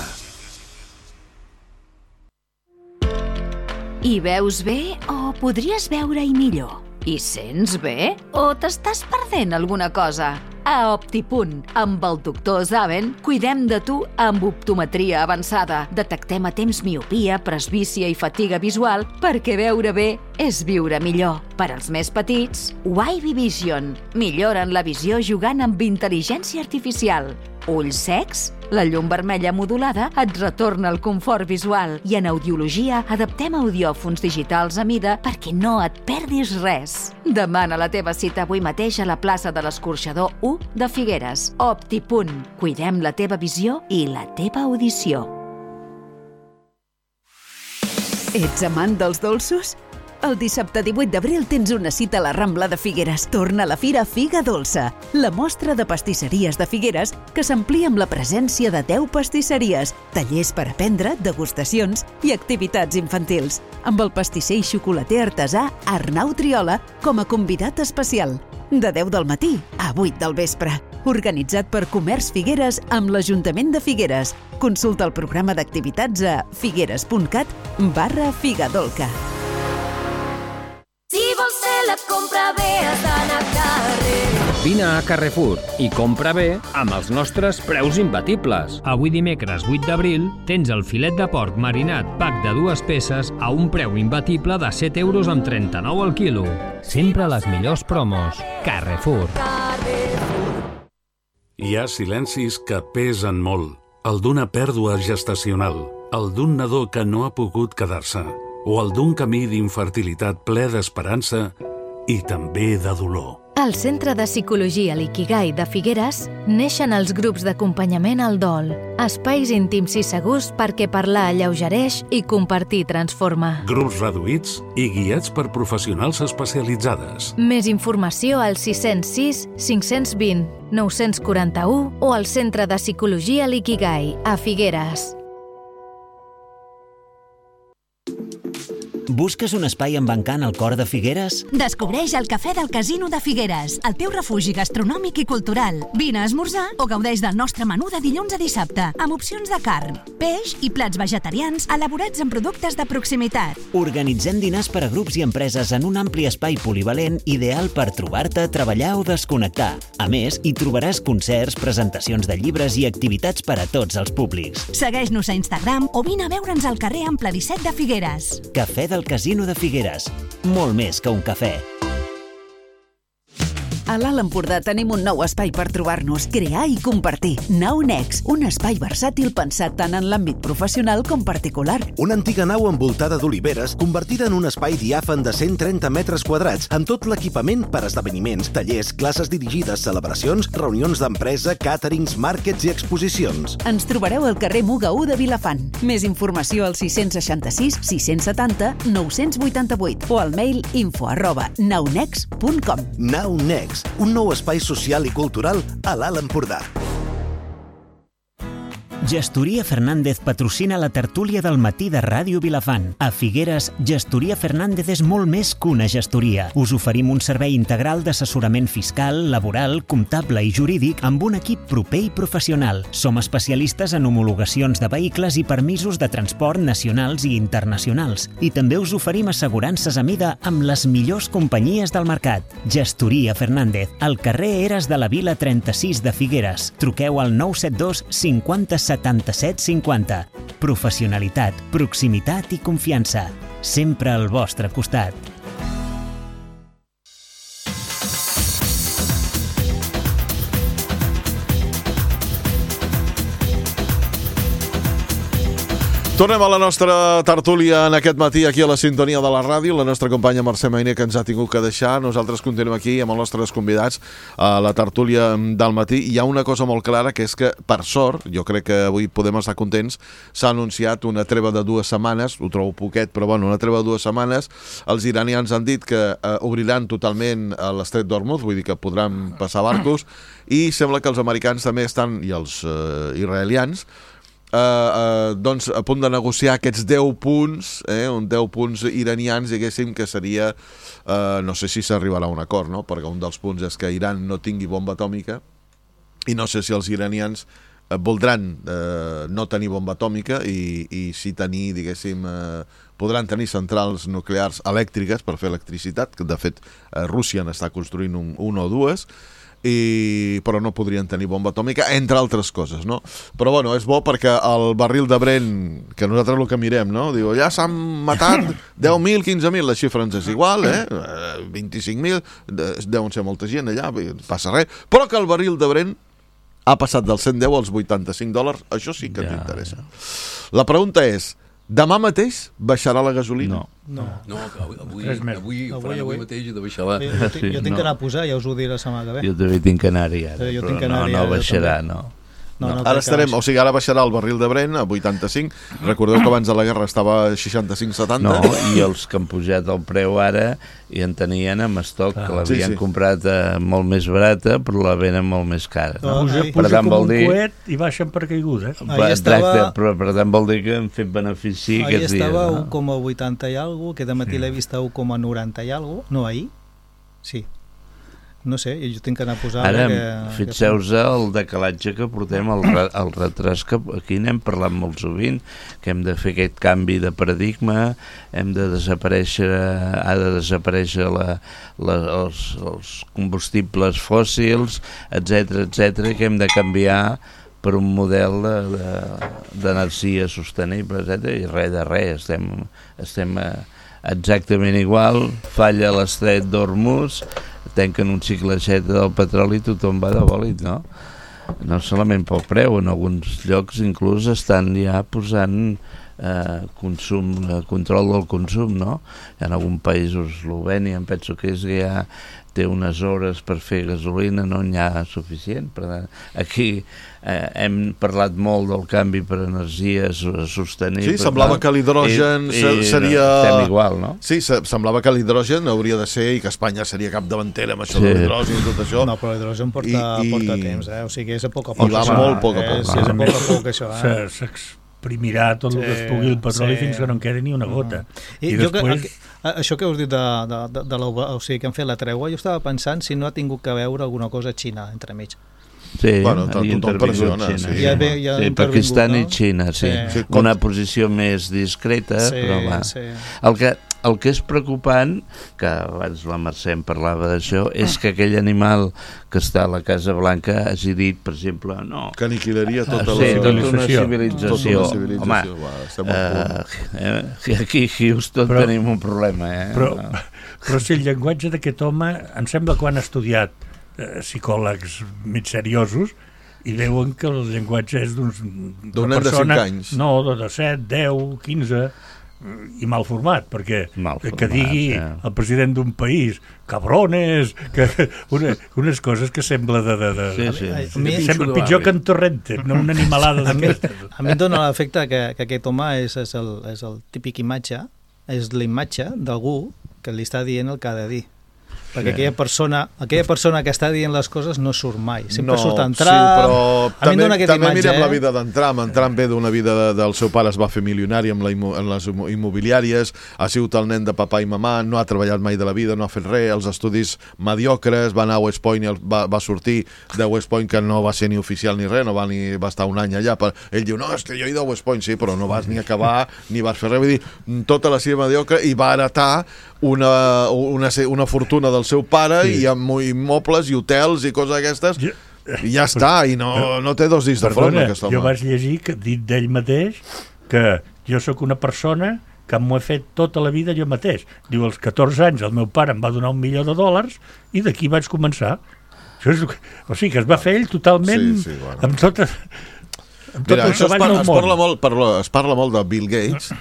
Hi veus bé o podries veure-hi millor? Hi sents bé o t'estàs perdent alguna cosa? A Optipunt, amb el doctor Zaven, cuidem de tu amb optometria avançada. Detectem a temps miopia, presbícia i fatiga visual perquè veure bé és viure millor. Per als més petits, Wavy Vision. Milloren la visió jugant amb intel·ligència artificial. Ulls secs? La llum vermella modulada et retorna el confort visual i en audiologia adaptem audiòfons digitals a mida perquè no et perdis res. Demana la teva cita avui mateix a la plaça de l'Escorxador u de Figueres. Optipunt. Cuidem la teva visió i la teva audició. Ets amant dels dolços? El dissabte divuit d'abril tens una cita a la Rambla de Figueres. Torna a la Fira Figa Dolça, la mostra de pastisseries de Figueres que s'amplia amb la presència de deu pastisseries, tallers per aprendre, degustacions i activitats infantils, amb el pastisser i xocolater artesà Arnau Triola com a convidat especial. De deu del matí a vuit del vespre. Organitzat per Comerç Figueres amb l'Ajuntament de Figueres. Consulta el programa d'activitats a figueres.cat barra figadolca. Si vols fer la compra bé has d'anar a carrer. Vine a Carrefour i compra bé amb els nostres preus imbatibles. Avui dimecres vuit d'abril tens el filet de porc marinat pack de dues peces a un preu imbatible de set euros amb trenta-nou al quilo. Sempre les millors promos. Carrefour. Hi ha silencis que pesen molt. El d'una pèrdua gestacional, el d'un nadó que no ha pogut quedar-se, o el d'un camí d'infertilitat ple d'esperança i també de dolor. Al Centre de Psicologia L'Ikigai de Figueres neixen els grups d'acompanyament al dol, espais íntims i segurs perquè parlar alleugereix i compartir transforma. Grups reduïts i guiats per professionals especialitzades. Més informació al sis zero sis, cinc dos zero, nou quatre u o al Centre de Psicologia L'Ikigai a Figueres. Busques un espai amb encant al cor de Figueres? Descobreix el Cafè del Casino de Figueres, el teu refugi gastronòmic i cultural. Vine a esmorzar o gaudeix del nostre menú de dilluns a dissabte, amb opcions de carn, peix i plats vegetarians elaborats amb productes de proximitat. Organitzem dinars per a grups i empreses en un ampli espai polivalent ideal per trobar-te, treballar o desconnectar. A més, hi trobaràs concerts, presentacions de llibres i activitats per a tots els públics. Segueix-nos a Instagram o vine a veure'ns al carrer Ample disset de Figueres. Cafè del Casino de Figueres. Molt més que un cafè. A l'Alt Empordà tenim un nou espai per trobar-nos, crear i compartir. Nau Next, un espai versàtil pensat tant en l'àmbit professional com particular. Una antiga nau envoltada d'oliveres convertida en un espai diàfan de cent trenta metres quadrats amb tot l'equipament per esdeveniments, tallers, classes dirigides, celebracions, reunions d'empresa, càterings, màrquets i exposicions. Ens trobareu al carrer Muga u de Vilafant. Més informació al sis seixanta-sis, sis setanta, nou vuitanta-vuit o al mail info arroba naunext punt com. Nau Next, un nou espai social i cultural a l'Alt Empordà. Gestoria Fernández patrocina la tertúlia del matí de Ràdio Vilafant. A Figueres, Gestoria Fernández és molt més que una gestoria. Us oferim un servei integral d'assessorament fiscal, laboral, comptable i jurídic amb un equip proper i professional. Som especialistes en homologacions de vehicles i permisos de transport nacionals i internacionals. I també us oferim assegurances a mida amb les millors companyies del mercat. Gestoria Fernández, al carrer Eres de la Vila trenta-sis de Figueres. Truqueu al nou set dos cinquanta setanta-set cinquanta. Professionalitat, proximitat i confiança. Sempre al vostre costat. Tornem a la nostra tertúlia en aquest matí aquí a la sintonia de la ràdio. La nostra companya Mercè Mainer, que ens ha tingut que deixar. Nosaltres continuem aquí amb els nostres convidats a la tertúlia del matí. Hi ha una cosa molt clara, que és que, per sort, jo crec que avui podem estar contents, s'ha anunciat una treva de dues setmanes, ho trobo poquet, però bueno, una treva de dues setmanes. Els iranians han dit que eh, obriran totalment l'estret d'Hormuz, vull dir que podran passar barcos, i sembla que els americans també estan, i els eh, israelians, Uh, uh, doncs a punt de negociar aquests deu punts, eh, un deu punts iranians, diguéssim, que seria uh, no sé si s'arribarà a un acord, no? Perquè un dels punts és que Iran no tingui bomba atòmica, i no sé si els iranians uh, voldran uh, no tenir bomba atòmica i, i si tenir, diguéssim, uh, podran tenir centrals nuclears elèctriques per fer electricitat, que de fet uh, Rússia n'està construint un, un o dues, i però no podrien tenir bomba atòmica, entre altres coses, no? Però bueno, és bo perquè el barril de Brent, que nosaltres el que mirem, no? Diu, ja s'han matat deu mil, quinze mil, la xifra ens és igual, eh? vint-i-cinc mil, deuen ser molta gent allà, passa res, però que el barril de Brent ha passat dels cent deu als vuitanta-cinc dòlars, això sí que ens ja, interessa. Ja. La pregunta és, demà mateix baixarà la gasolina? No. No, no avui, avui, avui, ho faran avui mateix i de baixar la... Jo, jo, jo tinc no. que anar a posar, ja us ho diré la setmana que ve. Jo també tinc que anar-hi ara, jo però tinc que anar no, no baixarà, no. No, no, ara estarem, o sigui, ara baixarà el barril de Brent a vuitanta-cinc. Recordeu que abans de la guerra estava a seixanta-cinc setanta. No, i els que han pujat el preu ara i en tenien amb estoc, ah, que l'havien sí, sí. comprat eh, molt més barata, però la venen molt més cara. No? Puja, puja per tant, com un dir... coet i baixen per caiguda. Per, estava... però per tant vol dir que hem fet benefici ahir aquests dies. Estava a no? u coma vuitanta i alguna cosa, que de matí sí. l'he vist a u coma noranta i alguna cosa. No, ahir? Sí. No sé, jo tinc que anar a posar... Ara, que, fixeu-vos que... el decalatge que portem, el, re, el retras que aquí n'hem parlat molt sovint, que hem de fer aquest canvi de paradigma, hem de desaparèixer, ha de desaparèixer la, la, els, els combustibles fòssils, etcètera, etcètera, que hem de canviar per un model d'energia de, de, sostenible, etcètera, i res de res, estem, estem exactament igual, falla l'estret d'Hormuz, tanquen un ciclet del petroli i tothom va de bòlit, no? No solament pel preu, en alguns llocs inclús estan ja posant eh, consum, eh, control del consum, no? En algun país, Eslovènia, em penso que és que ja té unes hores per fer gasolina, no n'hi ha suficient. Per tant, aquí eh, hem parlat molt del canvi per energies sostenibles. Sí, semblava que l'hidrogen seria... Estem igual, no? Sí, semblava que l'hidrogen hauria de ser i que Espanya seria capdavantera amb això sí. de l'hidrogen i tot això. No, però l'hidrogen porta, I, porta temps, eh? O sigui, és a poc a poc. I va molt a poc a poc. És, és a poc a poc, això, eh? S'exprimirà tot sí, el que es pugui el petroli sí. fins que no en quedi ni una gota. I, I després... Que, això que us dit de, de, de, de la, o sigui, que han fet la tregua, jo estava pensant si no ha tingut que veure alguna cosa a Xina entre mig. Sí, bueno, tot, tothom pressiona. Sí, sí. Ja ve, ja sí Pakistan no? i Xina, sí. sí. Una posició més discreta, sí, però va. Sí. El que, el que és preocupant, que abans la Mercè em parlava d'això, és que aquell animal que està a la Casa Blanca hagi dit, per exemple, no... Que aniquilaria tota, sí, la tota una civilització. Tota una civilització. Home, va, estem uh, eh, aquí a Houston però, tenim un problema, eh? Però, però si el llenguatge d'aquest home, em sembla que ho han estudiat eh, psicòlegs mig seriosos, i veuen que el llenguatge és d'una persona... de cinc anys. No, de set, deu, quinze... i mal format, perquè mal format, que digui sí. el president d'un país cabrones, que, una, unes coses que sembla de... de, de sí, sí. A mi, sembla pitjor que en Torrente, no una animalada d'aquestes. A mi em dóna l'efecte que, que aquest home és, és, el, és el típic imatge, és l'imatge d'algú que li està dient el que ha de dir. Perquè sí. aquella persona aquella persona que està dient les coses no surt mai. Sempre no, surt en Trump. Sí, però a també, mi també imatge, mirem eh? la vida d'en Trump. En Trump ve d'una vida de, del seu pare, es va fer milionari amb la immo, en les immobiliàries, ha sigut el nen de papà i mamà, no ha treballat mai de la vida, no ha fet res, els estudis mediocres, va anar a West Point i el, va, va sortir de West Point, que no va ser ni oficial ni res, no va, ni, va estar un any allà. Per, ell diu, no, és que jo he ido a West Point, sí, però no vas ni acabar, ni vas fer res. Vull dir, tota la seva mediocre, i va heretar una, una, una fortuna del seu pare sí. i amb immobles i hotels i coses d'aquestes ja, i ja està, i no, no té dos dits de front aquest home. Jo vaig llegir que dit d'ell mateix que jo sóc una persona que m'ho he fet tota la vida jo mateix. Diu, als catorze anys el meu pare em va donar un milió de dòlars i d'aquí vaig començar. Això és, o sigui, que es va fer ell totalment sí, sí, bueno. amb tot, amb tot Mira, el treball par, del es món. Parla molt, parla, es parla molt de Bill Gates.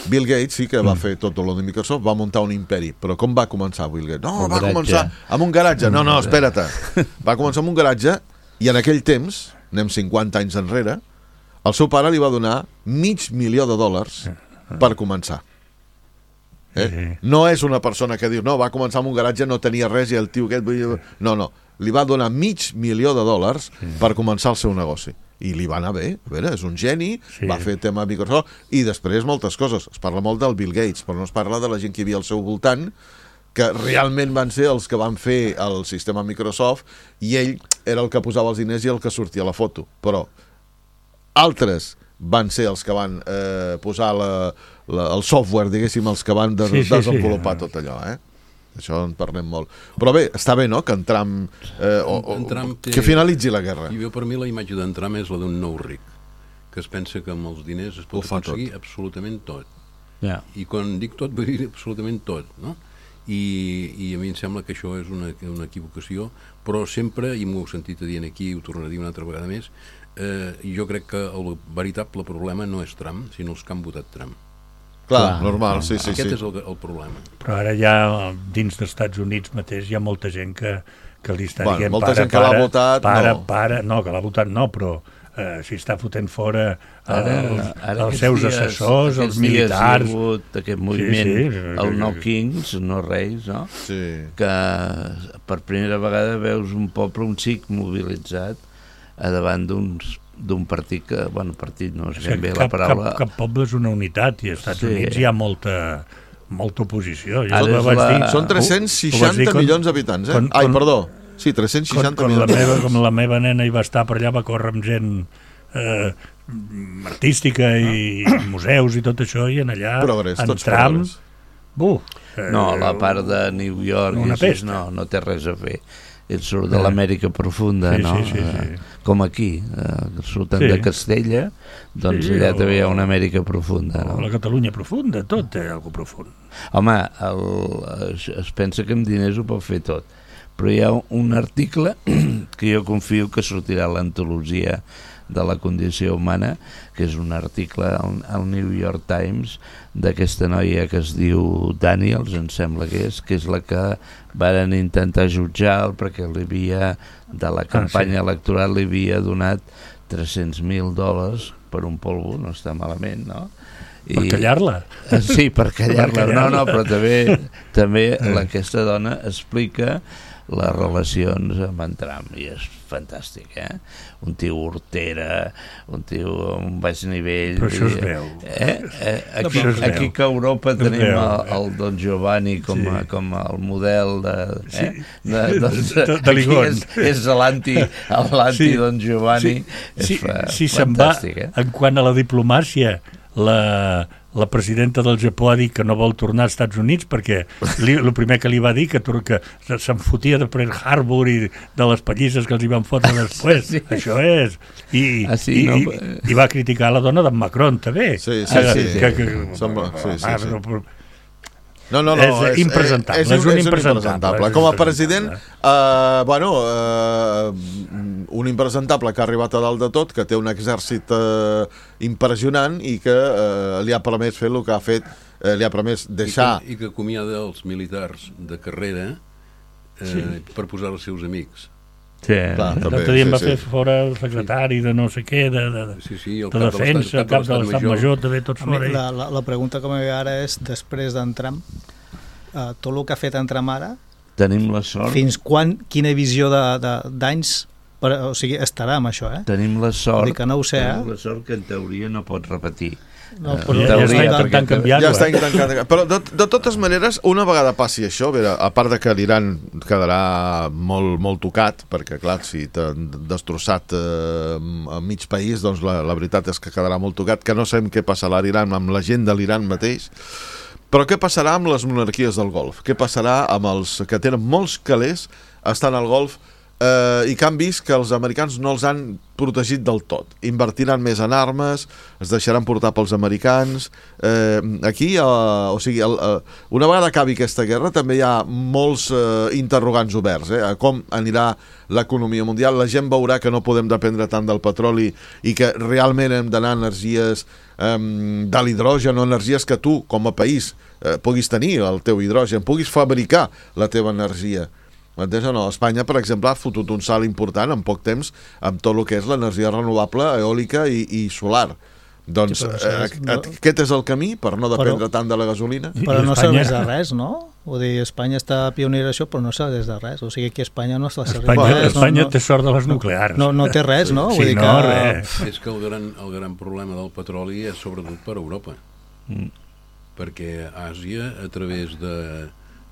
Bill Gates sí que va mm. fer tot el de Microsoft, va muntar un imperi, però com va començar Bill Gates? No, un va garatge. començar amb un garatge. No, no, espera't. Va començar amb un garatge i en aquell temps, anem cinquanta anys enrere, el seu pare li va donar mig milió de dòlars per començar. Eh? No és una persona que diu, no, va començar amb un garatge, no tenia res i el tio aquest... No, no, li va donar mig milió de dòlars per començar el seu negoci. I li va anar bé, a veure, és un geni, sí. va fer tema Microsoft, i després moltes coses. Es parla molt del Bill Gates, però no es parla de la gent que hi havia al seu voltant, que realment van ser els que van fer el sistema Microsoft, i ell era el que posava els diners i el que sortia a la foto. Però altres van ser els que van eh, posar la, la, el software, diguéssim, els que van de, sí, sí, desenvolupar sí. tot allò, eh? Això en parlem molt. Però bé, està bé, no?, que en Trump, eh, o, o, en Trump té... que finalitzi la guerra. I jo, per mi, la imatge d'en Trump és la d'un nou ric, que es pensa que amb els diners es pot aconseguir tot. absolutament tot. Yeah. I quan dic tot, vull dir absolutament tot, no? I, i a mi em sembla que això és una, una equivocació, però sempre, i m'ho heu sentit a dir aquí, ho tornaré a dir una altra vegada més, eh, jo crec que el veritable problema no és Trump, sinó els que han votat Trump. Clar, normal, sí, sí. Aquest sí. és el, el problema. Però ara ja, dins dels Estats Units mateix, hi ha molta gent que, que li està bueno, dient... Molta para, gent que l'ha votat, para, no. Para, no, que l'ha votat no, però eh, si està fotent fora Ara, els, ara els seus dies, assessors, els militars... Hi ha hagut aquest moviment, sí, sí, el No Kings, no Reis, no? Sí. Que per primera vegada veus un poble, un xic mobilitzat a davant d'uns d'un partit que, bueno, partit no és ben bé la paraula... Cap, cap poble és una unitat i als Estats sí. Units hi ha molta, molta oposició. Jo la... dir, Són tres-cents seixanta milions d'habitants, eh? Con, Ai, con, perdó. Sí, tres-cents seixanta con, con milions. La meva, com la meva nena hi va estar per allà, va córrer amb gent eh, artística i ah. museus i tot això, i en allà, progrés, en tram... Buf, eh, no, la part de New York una és, no, no té res a fer. El surt de l'Amèrica profunda, sí, no? Sí, sí, sí. Eh, com aquí, eh, surten sí. de Castella, doncs sí, allà o... també hi ha una Amèrica profunda, no? La Catalunya profunda, tot té alguna profund. Home, el, es, es pensa que amb diners ho pot fer tot, però hi ha un article que jo confio que sortirà a l'antologia de la condició humana, que és un article al, al New York Times d'aquesta noia que es diu Daniels, em sembla que és, que és la que varen intentar jutjar perquè li havia, de la campanya ah, sí. electoral li havia donat tres-cents mil dòlars per un polvo, no està malament, no? I, per callar-la? Sí, per callar-la, per callar-la. no, no, però també, també la, aquesta dona explica les relacions amb en Trump, i és fantàstic, eh? Un tio hortera, un tio amb baix nivell. Però això es veu. Eh? Eh? Aquí, no, aquí que a Europa tenim el, el Don Giovanni com, sí. a, com el model de... Eh? Sí. de, doncs, de, de, de Ligon. És, és l'anti sí. Don Giovanni. Sí. És fa, si se'n va, eh? en quant a la diplomàcia, la... la presidenta del Japó ha dit que no vol tornar als Estats Units perquè li, el primer que li va dir que, que se'n fotia de Pearl Harbor i de les pallisses que els hi van fotre després. Sí. Això és. I, ah, sí, i, no? i, i va criticar la dona d'en Macron, també. Sí, sí, que, sí. Que, que, Sembla, sí, sí, ah, sí. Però, No, no, no, és, és impresentable, és, és, un, és un impresentable. Com a president, eh, bueno, eh, un impresentable que ha arribat a dalt de tot, que té un exèrcit eh, impressionant i que eh, li ha permès fer el que ha fet, eh, li ha permès deixar... I que, i que acomiada els militars de carrera eh, sí. per posar els seus amics. Sí, l'altre dia em va sí, fer sí. fora el secretari de no sé què, de, de, sí, sí, el de defensa, el cap de l'Estat Major, també tot fora. La, la, la pregunta que m'he ara és, després d'en Trump, uh, tot el que ha fet en Trump ara, tenim la sort. Fins quan, quina visió d'anys, o sigui, estarà amb això, eh? Tenim la sort, que no ho sé, tenim eh? la sort que en teoria no pot repetir. No, però ja, ja està intentant canviar-ho. Ja està intentant canviar. Però de, de totes maneres, una vegada passi això, a, a part de que l'Iran quedarà molt, molt tocat, perquè clar, si t'han destrossat eh, a mig país, doncs la, la veritat és que quedarà molt tocat, que no sabem què passarà a l'Iran amb la gent de l'Iran mateix. Però què passarà amb les monarquies del Golf? Què passarà amb els que tenen molts calés estan al Golf eh, i que han vist que els americans no els han protegit del tot? Invertiran més en armes, es deixaran portar pels americans. Eh, aquí, eh, o sigui, el, eh, una vegada acabi aquesta guerra, també hi ha molts eh, interrogants oberts, eh, a com anirà l'economia mundial. La gent veurà que no podem dependre tant del petroli i que realment hem d'anar a energies eh, de l'hidrogen, o energies que tu, com a país, eh, puguis tenir el teu hidrogen, puguis fabricar la teva energia. M'entens o no? Espanya, per exemple, ha fotut un salt important en poc temps amb tot el que és l'energia renovable, eòlica i, i solar. Doncs sí, eh, és, no... aquest és el camí per no dependre però, tant de la gasolina. Però no serveix de res, no? Vull dir, Espanya està pionera això, però no serveix de res. O sigui, aquí a Espanya no està servint Espanya, res. Espanya no, té sort de les nuclears. No, no té res, no? Sí, Vull dir no, que... res. És que el gran, el gran problema del petroli és sobretot per Europa. Mm. Perquè Àsia, a través de...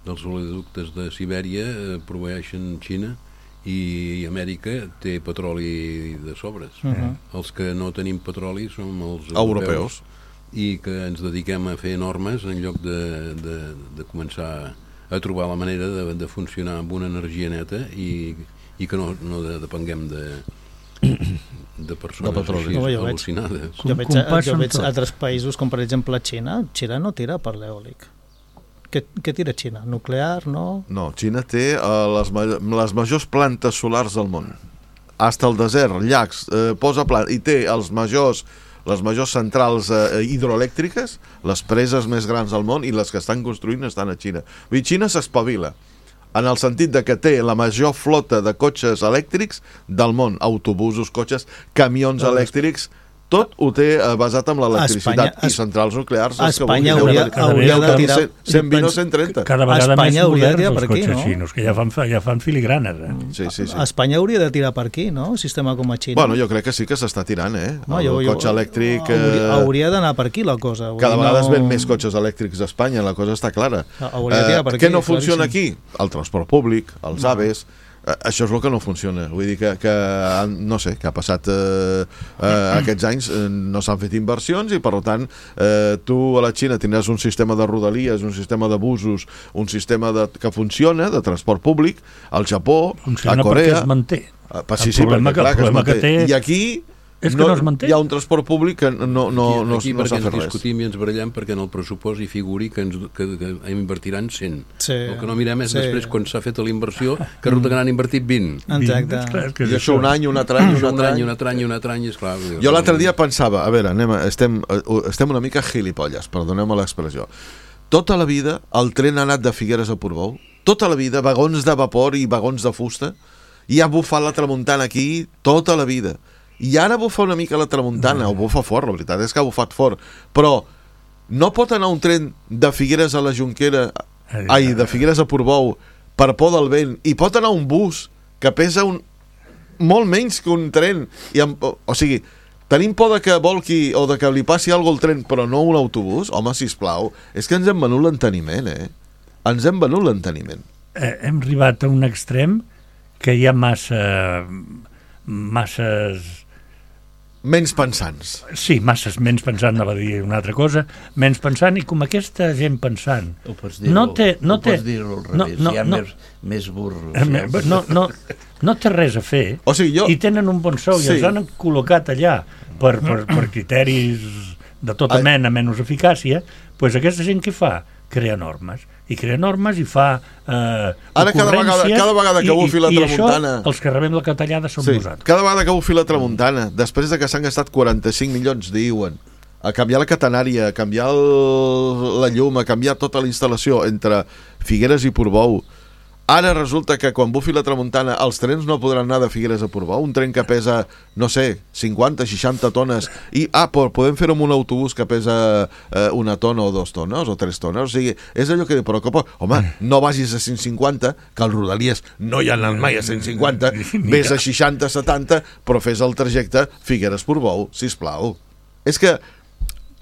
dels oleoductes de Sibèria eh, proveeixen Xina i Amèrica té petroli de sobres. Uh-huh. Els que no tenim petroli som els europeus, europeus i que ens dediquem a fer normes en lloc de, de, de començar a trobar la manera de, de funcionar amb una energia neta i, i que no, no de, depenguem de de persones de així no, jo al·lucinades. Veig, jo veig, jo veig altres països com per exemple Xina. Xina no tira per l'eòlic. Què, què tira Xina? Nuclear, no? No, Xina té uh, les, les majors plantes solars del món. Hasta el desert, llacs, eh, posa plant, i té els majors, les majors centrals eh, hidroelèctriques, les preses més grans del món, i les que estan construint estan a Xina. Vull dir, Xina s'espavila. en el sentit de que té la major flota de cotxes elèctrics del món, autobusos, cotxes, camions elèctrics, tot ho té basat en l'electricitat i centrals nuclears. Espanya hauria, hauria de tirar... cent vint o cent trenta. Cada vegada més moderns els per aquí, cotxes no? xinos, que ja fan, ja fan filigranes. Eh? Sí, sí, sí. Espanya hauria de tirar per aquí, no? Un sistema com a Xina. Bueno, jo crec que sí que s'està tirant, eh? No, el jo, jo, cotxe elèctric... Hauria, hauria d'anar per aquí la cosa. Cada vegada no... es ven més cotxes elèctrics a Espanya, la cosa està clara. Hauria de tirar per aquí. Què no funciona aquí? El transport públic, els AVEs... Això és el que no funciona. Vull dir que, que no sé, que ha passat eh, eh, aquests anys, eh, no s'han fet inversions i per tant eh, tu a la Xina tindràs un sistema de rodalies, un sistema de busos, un sistema de, que funciona, de transport públic, al Japó, funciona a Corea... Funciona perquè es manté. Eh, sí, sí, perquè, clar, que es manté. Que té... I aquí... És que no, no es manté. Hi ha un transport públic que no, no, no, aquí, no, no s'ha fet res. Aquí ens discutim i ens barallem perquè en el pressupost hi figuri que, ens, que, que invertiran cent. Sí. El que no mirem és sí. després, quan s'ha fet l'inversió, que resulta que n'han invertit vint. Exacte. I això un any, un altre any, un altre any, un altre any, un altre any, esclar. Jo l'altre dia pensava, a veure, anem, estem, estem una mica gilipolles, perdoneu-me l'expressió. Tota la vida el tren ha anat de Figueres a Portbou, tota la vida, vagons de vapor i vagons de fusta, i ha bufat la tramuntana aquí tota la vida. I ara bufa una mica la tramuntana, o bufa fort, la veritat és que ha bufat fort, però no pot anar un tren de Figueres a la Jonquera, ai, de Figueres a Portbou, per por del vent, i pot anar un bus que pesa un, molt menys que un tren, i amb, o, o sigui, tenim por de que volqui o de que li passi alguna cosa al tren, però no un autobús? Home, sisplau, és que ens hem venut l'enteniment, eh? Ens hem venut l'enteniment. Eh, hem arribat a un extrem que hi ha massa... masses... Menys pensants. Sí, masses menys pensant, no va dir una altra cosa, menys pensant, i com aquesta gent pensant... Ho pots dir-ho, no té, no ho té, pots dir-ho al no, revés, no, hi ha no, més, més burros. Eh, no, no, no té res a fer, o sigui, jo... i tenen un bon sou, sí. I els han col·locat allà per, per, per criteris de tota mena, menys eficàcia, doncs aquesta gent què fa? Crea normes. I crea normes i fa eh, ara cada vegada, cada vegada que bufi la tramuntana... I això, els que rebem la catallada som sí, nosaltres. Cada vegada que bufi la tramuntana, després de que s'han gastat quaranta-cinc milions, diuen, a canviar la catenària, a canviar el, la llum, a canviar tota la instal·lació entre Figueres i Portbou, ara resulta que quan bufi la tramuntana els trens no podran anar de Figueres a Portbou, un tren que pesa, no sé, cinquanta, seixanta tones, i ah, podem fer-ho amb un autobús que pesa eh, una tona o dos tones o tres tones, o sigui, és allò que... Però, home, no vagis a cent cinquanta, que els rodalies no hi han anat mai a cent cinquanta, vés a seixanta, setanta, però fes el trajecte Figueres-Portbou, sisplau. És que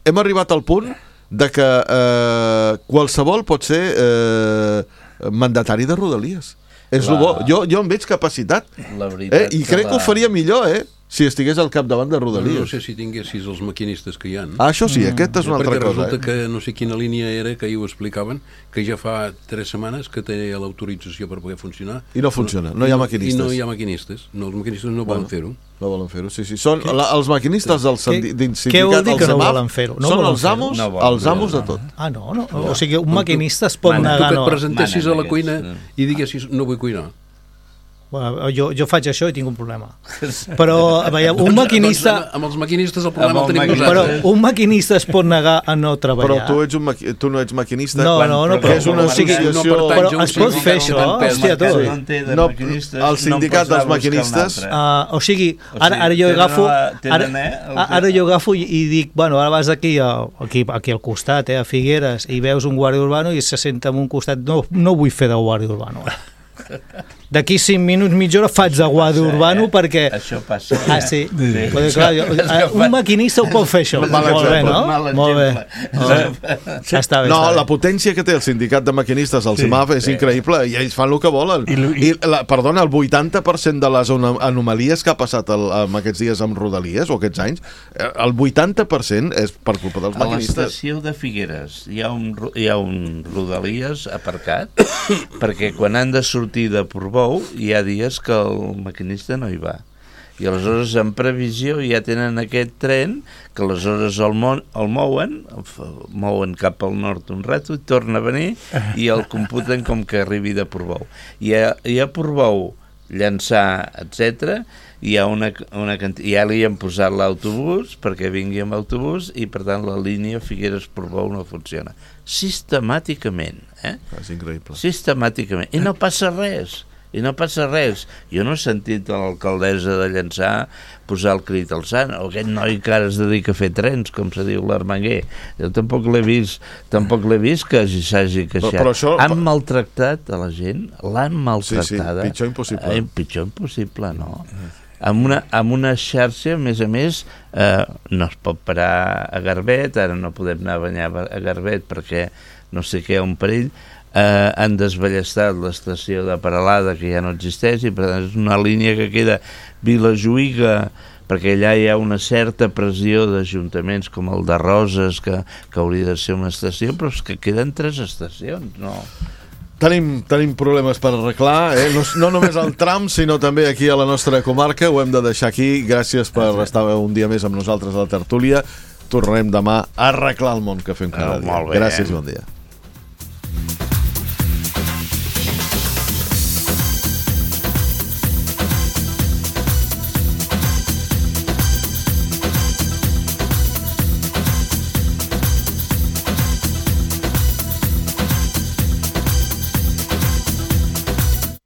hem arribat al punt de que eh, qualsevol pot ser... Eh, mandatari de rodalies. És la... bo. Jo, jo en veig capacitat. Eh? I crec que, la... que ho faria millor, eh? Si estigués al capdavant de rodalies. No, no sé si tinguessis els maquinistes que hi ha. Ah, això sí, mm. aquesta és una altra cosa. Perquè resulta eh? que no sé quina línia era, que ahir ho explicaven, que ja fa tres setmanes que té l'autorització per poder funcionar. I no funciona, no hi ha maquinistes. I no hi ha maquinistes. No, els maquinistes no bueno, volen fer-ho. No volen fer-ho, sí, sí. Són la, els maquinistes del sindicat... Què vol dir que no volen fer-ho? No són els amos, no els amos de tot. Ah, no, no. O sigui, un maquinista es pot negar... Tu que et presentessis a la cuina i diguessis no vull cuinar. Bueno, jo, jo faig això i tinc un problema. Però, veiem, un maquinista... Doncs, amb els maquinistes el problema el tenim nosaltres. Però un maquinista es pot negar a no treballar. Però tu, ets un maqui... tu no ets maquinista. No, no, no. Però és una associació... No però es pot fer això, hòstia, tu. No, el sindicat dels maquinistes... Uh, o sigui, ara, ara jo agafo... Ara, ara jo agafo i dic, bueno, ara vas aquí, aquí, aquí al costat, eh, a Figueres, i veus un guàrdia urbano i se senta en un costat... No, no vull fer de guàrdia urbano. D'aquí cinc minuts, mitja hora faig de guàrdia urbano, eh? Perquè... Això passa. Ah, sí? Sí. Perquè, clar, jo, un maquinista ho pot fer, això. Molt bé, no? Molt bé. Sí. Està bé, no, està la potència que té el sindicat de maquinistes al sí, CEMAF és sí. increïble, i ells fan el que volen. I, i... I la, perdona, el vuitanta per cent de les anomalies que ha passat el, amb aquests dies amb Rodalies, o aquests anys, el vuitanta per cent és per culpa dels maquinistes. A l'estació de Figueres hi ha un, hi ha un Rodalies aparcat, perquè quan han de sortir de Portbou hi ha dies que el maquinista no hi va. I aleshores, en previsió, ja tenen aquest tren que aleshores el, mon, el mouen, el mouen cap al nord un rato, torna a venir i el computen com que arribi de Portbou. I a, i a Portbou, Llançà, etcètera. Hi ha una, una canti... ja li han posat l'autobús perquè vingui amb autobús i per tant la línia Figueres-Portbou no funciona. Sistemàticament. Eh? És increïble. Sistemàticament. I no passa res. I no passa res. Jo no he sentit a l'alcaldessa de Llançà posar el crit al sant, o aquest noi que ara es dedica a fer trens, com se diu l'Armenguer. Jo tampoc l'he vist, tampoc l'he vist que s'hagi queixat. Però, però això... Han maltractat a la gent, l'han maltractada. Sí, sí, pitjor impossible. Eh, pitjor impossible, no. Amb una, amb una xarxa, a més a més, eh, no es pot parar a Garbet, ara no podem anar a banyar a Garbet perquè no sé què, un perill. Eh, han desballestat l'estació de Peralada, que ja no existeix, i per tant és una línia que queda Vilajuïga, perquè allà hi ha una certa pressió d'ajuntaments com el de Roses, que, que hauria de ser una estació, però és que queden tres estacions, no? Tenim, tenim problemes per arreglar, eh? no, no només al tram, sinó també aquí a la nostra comarca. Ho hem de deixar aquí. Gràcies per estar un dia més amb nosaltres a la tertúlia. Tornarem demà a arreglar el món que fem cada dia. Molt bé. Gràcies i bon dia.